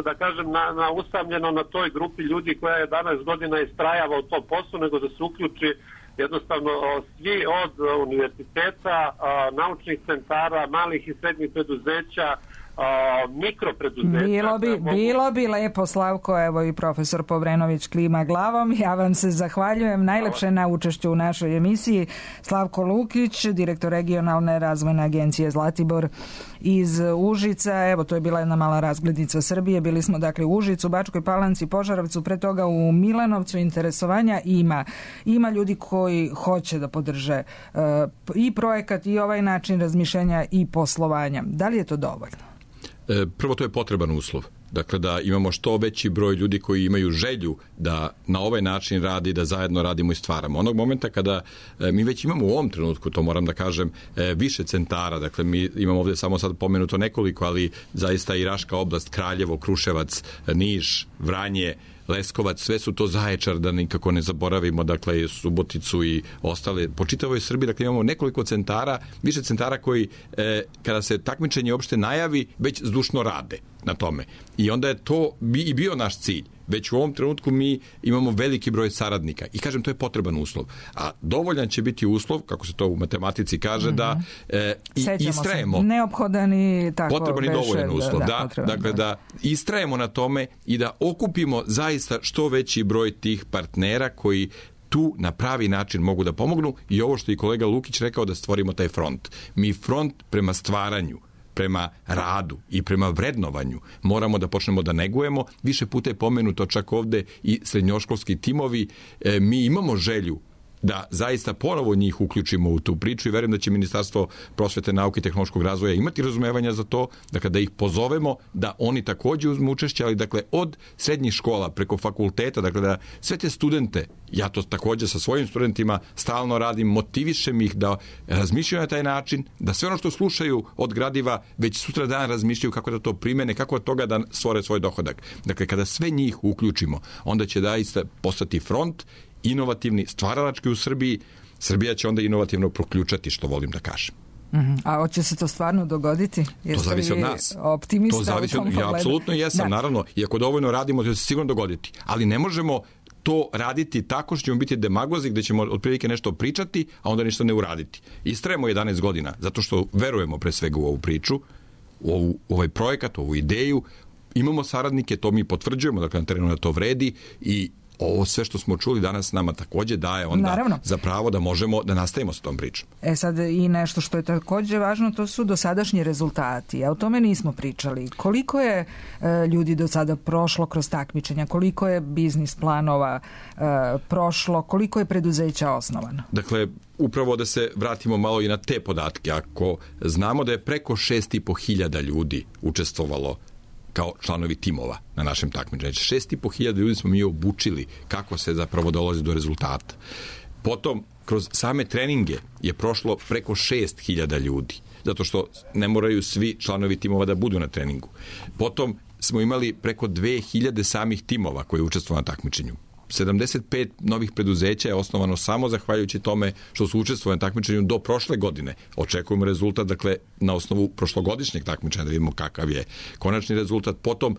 da kažem, na, na usamljeno na toj grupi ljudi koja je jedanaest godina istrajava u tom poslu, nego da se uključi jednostavno svi od univerziteta, naučnih centara, malih i srednjih preduzeća, mikropreduzeća. Bilo bi, bilo bi lepo, Slavko, evo i profesor Povrenović klima glavom. Ja vam se zahvaljujem najlepše na učešću u našoj emisiji. Slavko Lukić, direktor regionalne razvojne agencije Zlatibor iz Užica. Evo, to je bila jedna mala razglednica Srbije. Bili smo dakle u Užicu, Bačkoj Palanci, Požarevcu, pre toga u Milanovcu. Interesovanja ima. Ima ljudi koji hoće da podrže uh, i projekat i ovaj način razmišljanja i poslovanja. Da li je to dovoljno? Prvo, to je potreban uslov. Dakle, da imamo što veći broj ljudi koji imaju želju da na ovaj način radi, da zajedno radimo i stvaramo. Onog momenta kada mi već imamo u ovom trenutku, to moram da kažem, više centara, dakle, mi imamo ovdje samo sad pomenuto nekoliko, ali zaista i Raška oblast, Kraljevo, Kruševac, Niš, Vranje, Leskovac, sve su to Zaječar, da nikako ne zaboravimo, dakle, Suboticu i ostale. Po čitavoj Srbiji, dakle, imamo nekoliko centara, više centara koji, e, kada se takmičenje uopšte najavi, već zdušno rade na tome. I onda je to bi i bio naš cilj. Već u ovom trenutku mi imamo veliki broj saradnika. I kažem, to je potreban uslov. A dovoljan će biti uslov, kako se to u matematici kaže, mm-hmm. da e, i, istrajemo. Neophodan i tako. Potreban i dovoljan uslov, da. da, potreban, dakle, da. da istrajemo na tome i da okupimo zaista što veći broj tih partnera koji tu na pravi način mogu da pomognu i ovo što je kolega Lukić rekao, da stvorimo taj front. Mi front prema stvaranju, prema radu i prema vrednovanju moramo da počnemo da negujemo. Više puta je pomenuto čak ovde i srednjoškolski timovi. E, mi imamo želju da zaista ponovo njih uključimo u tu priču i verujem da će Ministarstvo prosvete, nauke i tehnološkog razvoja imati razumevanja za to, dakle da ih pozovemo da oni takođe uzmu učešće, ali dakle od srednjih škola preko fakulteta, dakle da sve te studente, ja to takođe sa svojim studentima stalno radim, motivišem ih da razmišljaju na taj način, da sve ono što slušaju od gradiva već sutra dan razmišljaju kako da to primene, kako od toga da stvore svoj dohodak. Dakle, kada sve njih uključimo, onda će zaista postati front inovativni, stvaralački u Srbiji. Srbija će onda inovativno proključati, što volim da kažem. Uh-huh. A hoće se to stvarno dogoditi? Jeste to zavisi od nas. Optimista to zavisi u tom od... Ja apsolutno jesam, da. Naravno. I ako dovoljno radimo, to će se sigurno dogoditi. Ali ne možemo to raditi tako što ćemo biti demagozi, gde ćemo otprilike nešto pričati, a onda ništa ne uraditi. Istrajemo jedanaest godina, zato što verujemo pre svega u ovu priču, u, ovu, u ovaj projekat, u ovu ideju. Imamo saradnike, to mi potvrđujemo, dakle na terenu da to vredi i ovo sve što smo čuli danas nama takođe daje onda Naravno. za pravo da možemo da nastavimo sa tom pričom. E sad i nešto što je takođe važno, to su dosadašnji rezultati. A o tome nismo pričali. Koliko je e, ljudi do sada prošlo kroz takmičenja, koliko je biznis planova e, prošlo, koliko je preduzeća osnovano? Dakle, upravo da se vratimo malo i na te podatke. Ako znamo da je preko šest i po hiljada ljudi učestvovalo kao članovi timova na našem takmičenju. Šest i po hiljada ljudi smo mi obučili kako se zapravo dolazi do rezultata. Potom, kroz same treninge je prošlo preko šest hiljada ljudi, zato što ne moraju svi članovi timova da budu na treningu. Potom smo imali preko dve hiljade samih timova koji učestvovali na takmičenju. sedamdeset pet novih preduzeća je osnovano samo zahvaljujući tome što su učestvovali na takmičenju do prošle godine. Očekujemo rezultat, dakle, na osnovu prošlogodišnjeg takmičenja da vidimo kakav je konačni rezultat. Potom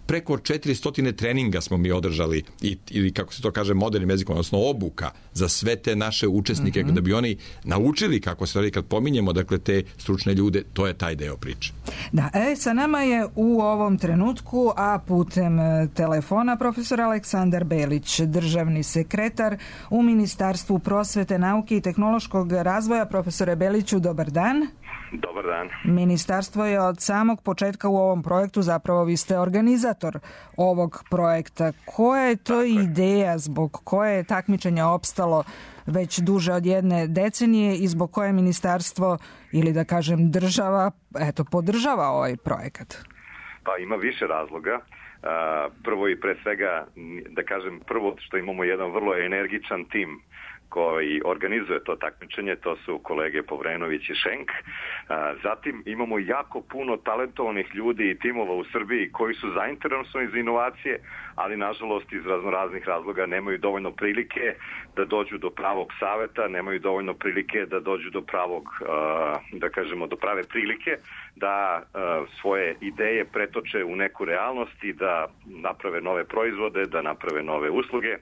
preko četiristo treninga smo mi održali i, ili kako se to kaže modernim jezikom, odnosno obuka za sve te naše učesnike, mm-hmm. da bi oni naučili kako se radi. Kad pominjemo, dakle, te stručne ljude, to je taj deo priče. Da, e, sa nama je u ovom trenutku, a putem telefona, profesor Aleksandar Belić, državni sekretar u Ministarstvu prosvete, nauke i tehnološkog razvoja. Profesore Beliću, dobar dan. Dobar dan. Ministarstvo je od samog početka u ovom projektu, zapravo vi ste organizator ovog projekta. Koja je to ideja zbog koje je takmičenje opstalo već duže od jedne decenije i zbog koje ministarstvo ili da kažem država eto podržava ovaj projekat? Pa ima više razloga. Prvo i pre svega da kažem prvo što imamo jedan vrlo energičan tim koji organizuje to takmičenje, to su kolege Povrenović i Šenk. Zatim imamo jako puno talentovanih ljudi i timova u Srbiji koji su zainteresovani za inovacije, ali nažalost iz raznoraznih razloga nemaju dovoljno prilike da dođu do pravog saveta, nemaju dovoljno prilike da dođu do pravog, da kažemo, do prave prilike da svoje ideje pretoče u neku realnost i da naprave nove proizvode, da naprave nove usluge.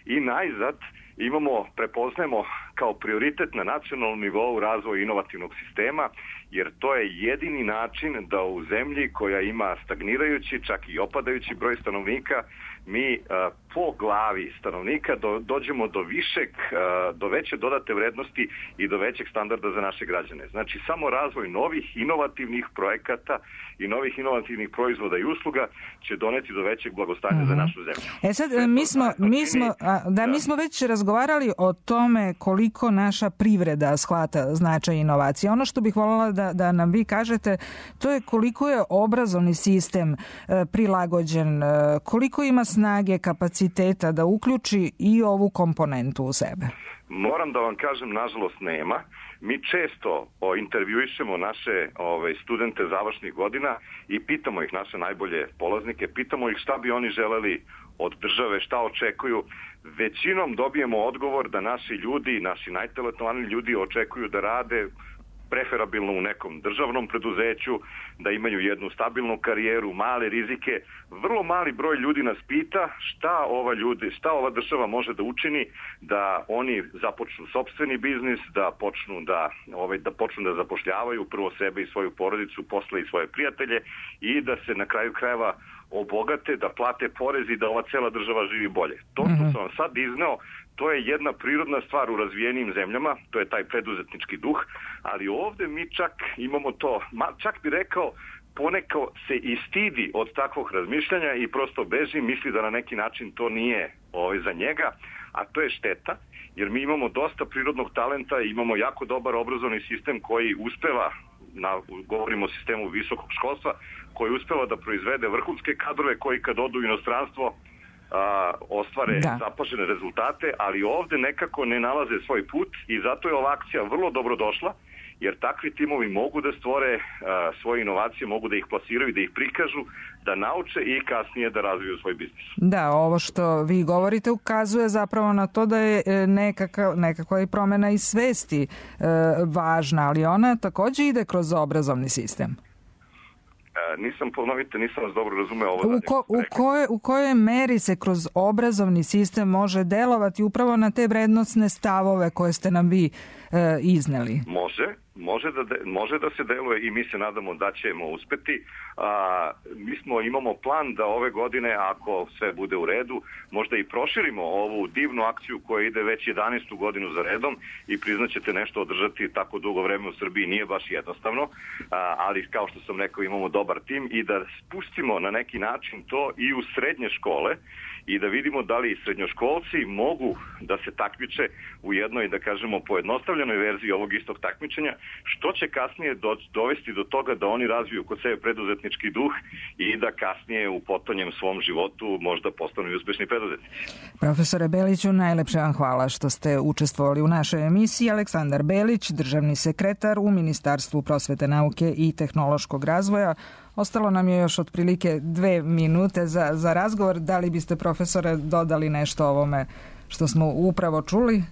I najzad imamo, prepoznajemo kao prioritet na nacionalnom nivou razvoj inovativnog sistema, jer to je jedini način da u zemlji koja ima stagnirajući, čak i opadajući broj stanovnika, mi a, po glavi stanovnika do, dođemo do višeg, a, do veće dodate vrednosti i do većeg standarda za naše građane. Znači, samo razvoj novih inovativnih projekata i novih inovativnih proizvoda i usluga će doneti do većeg blagostanja mm-hmm. za našu zemlju. E sad, mi smo, mi smo, a, da, da, mi smo već razgovarali o tome koliko naša privreda shvata značaj inovacije. Ono što bih voljela da, da nam vi kažete, to je koliko je obrazovni sistem e, prilagođen, e, koliko ima snage, kapaciteta da uključi i ovu komponentu u sebe. Moram da vam kažem, nažalost nema. Mi često o, intervjuišemo naše ove, studente završnih godina i pitamo ih, naše najbolje polaznike, pitamo ih šta bi oni želeli od države, šta očekuju. Većinom dobijemo odgovor da naši ljudi, naši najtalentovaniji ljudi očekuju da rade preferabilno u nekom državnom preduzeću, da imaju jednu stabilnu karijeru, male rizike. Vrlo mali broj ljudi nas pita šta ova ljudi, šta ova država može da učini da oni započnu sopstveni biznis, da počnu da ovaj da počnu da zapošljavaju prvo sebe i svoju porodicu, posle i svoje prijatelje i da se na kraju krajeva obogate, da plate porez i da ova cela država živi bolje. To što sam vam sad izneo, to je jedna prirodna stvar u razvijenim zemljama, to je taj preduzetnički duh, ali ovde mi čak imamo to, čak bi rekao, poneko se i stidi od takvog razmišljanja i prosto beži, misli da na neki način to nije ovaj, za njega, a to je šteta, jer mi imamo dosta prirodnog talenta i imamo jako dobar obrazovni sistem koji uspeva, na, govorimo o sistemu visokog školstva, koji uspeva da proizvede vrhunske kadrove koji kad odu u inostranstvo a, ostvare da. zapažene rezultate, ali ovde nekako ne nalaze svoj put i zato je ova akcija vrlo dobro došla, jer takvi timovi mogu da stvore a, svoje inovacije, mogu da ih plasiraju, da ih prikažu, da nauče i kasnije da razviju svoj biznis. Da, ovo što vi govorite ukazuje zapravo na to da je nekakva, nekakva i promena i svesti e, važna, ali ona takođe ide kroz obrazovni sistem. Nisam, ponovite, nisam vas dobro razumeo ovo. U, ko, u, koje, u kojoj meri se kroz obrazovni sistem može delovati upravo na te vrednostne stavove koje ste nam vi e, izneli? Može, može da, de, može da se deluje i mi se nadamo da ćemo uspeti. A, mi smo, imamo plan da ove godine, ako sve bude u redu, možda i proširimo ovu divnu akciju koja ide već jedanaestu godinu za redom i priznaćete nešto održati tako dugo vreme u Srbiji nije baš jednostavno, a, ali kao što sam rekao imamo dobar tim i da spustimo na neki način to i u srednje škole i da vidimo da li srednjoškolci mogu da se takmiče u jednoj, da kažemo, pojednostavljenoj verziji ovog istog takmičenja, što će kasnije do, dovesti do toga da oni razviju kod sebe preduzetnički duh i da kasnije u potonjem svom životu možda postanu i uspešni preduzetnici. Profesore Beliću, najlepše vam hvala što ste učestvovali u našoj emisiji. Aleksandar Belić, državni sekretar u Ministarstvu prosvete, nauke i tehnološkog razvoja. Ostalo nam je još otprilike dve minute za, za razgovor. Da li biste, profesore, dodali nešto o ovome što smo upravo čuli?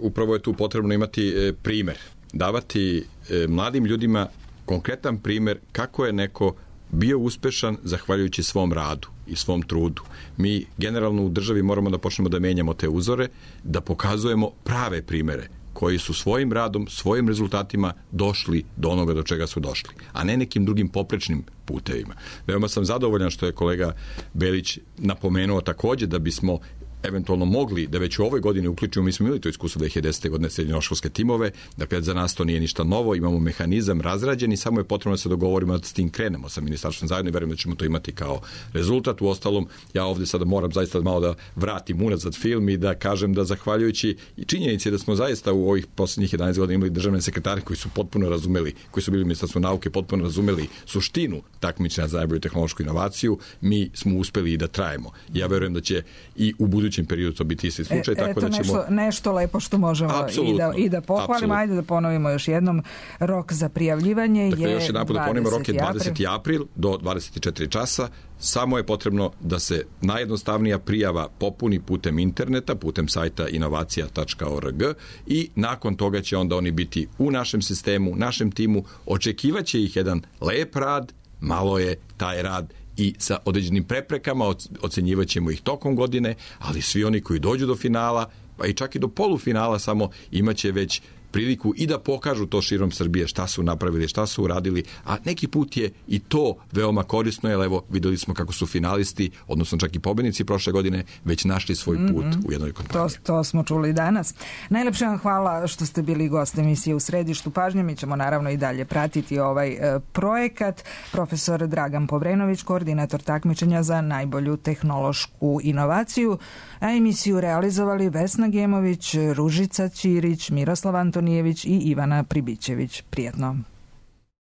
Upravo je tu potrebno imati primer. Davati mladim ljudima konkretan primer kako je neko bio uspešan zahvaljujući svom radu i svom trudu. Mi generalno u državi moramo da počnemo da menjamo te uzore, da pokazujemo prave primere koji su svojim radom, svojim rezultatima došli do onoga do čega su došli, a ne nekim drugim poprečnim putevima. Veoma sam zadovoljan što je kolega Belić napomenuo takođe da bismo eventualno mogli da već u ovoj godini uključimo, mi smo imali to iskustvo dve hiljade desete. godine srednjoškolske timove, dakle za nas to nije ništa novo, imamo mehanizam razrađen i samo je potrebno da se dogovorimo da s tim krenemo sa ministarstvom zajedno i verujem da ćemo to imati kao rezultat. U ostalom, ja ovde sada moram zaista malo da vratim unazad film i da kažem da zahvaljujući i činjenici da smo zaista u ovih poslednjih jedanaest godina imali državne sekretare koji su potpuno razumeli, koji su bili u Ministarstvu nauke, potpuno razumeli suštinu takmičenja za najbolju tehnološku inovaciju, mi smo uspeli i da trajemo. Ja verujem da će i u budućnosti budućem periodu to biti isti slučaj. E, tako eto da ćemo... nešto, nešto lepo što možemo i da, i da pohvalimo. Apsolutno. Ajde da ponovimo još jednom. Rok za prijavljivanje dakle, je još jedan put da ponovimo, rok je dvadeseti april. april do dvadeset četiri časa. Samo je potrebno da se najjednostavnija prijava popuni putem interneta, putem sajta inovacija tačka org i nakon toga će onda oni biti u našem sistemu, našem timu. Očekivaće ih jedan lep rad, malo je taj rad i sa određenim preprekama, ocenjivat ćemo ih tokom godine, ali svi oni koji dođu do finala, pa i čak i do polufinala samo, imaće već priliku i da pokažu to širom Srbije šta su napravili, šta su uradili, a neki put je i to veoma korisno, jer evo videli smo kako su finalisti, odnosno čak i pobednici prošle godine, već našli svoj put mm-hmm. u jednoj kompaniji. To, to smo čuli danas. Najlepše vam hvala što ste bili gost emisije U središtu pažnje. Mi ćemo naravno i dalje pratiti ovaj e, projekat. Profesor Dragan Povrenović, koordinator takmičenja za najbolju tehnološku inovaciju, a emisiju realizovali Vesna Gemović, Ružica Ćirić, Miroslav Antonijević i Ivana Pribićević. Prijetno.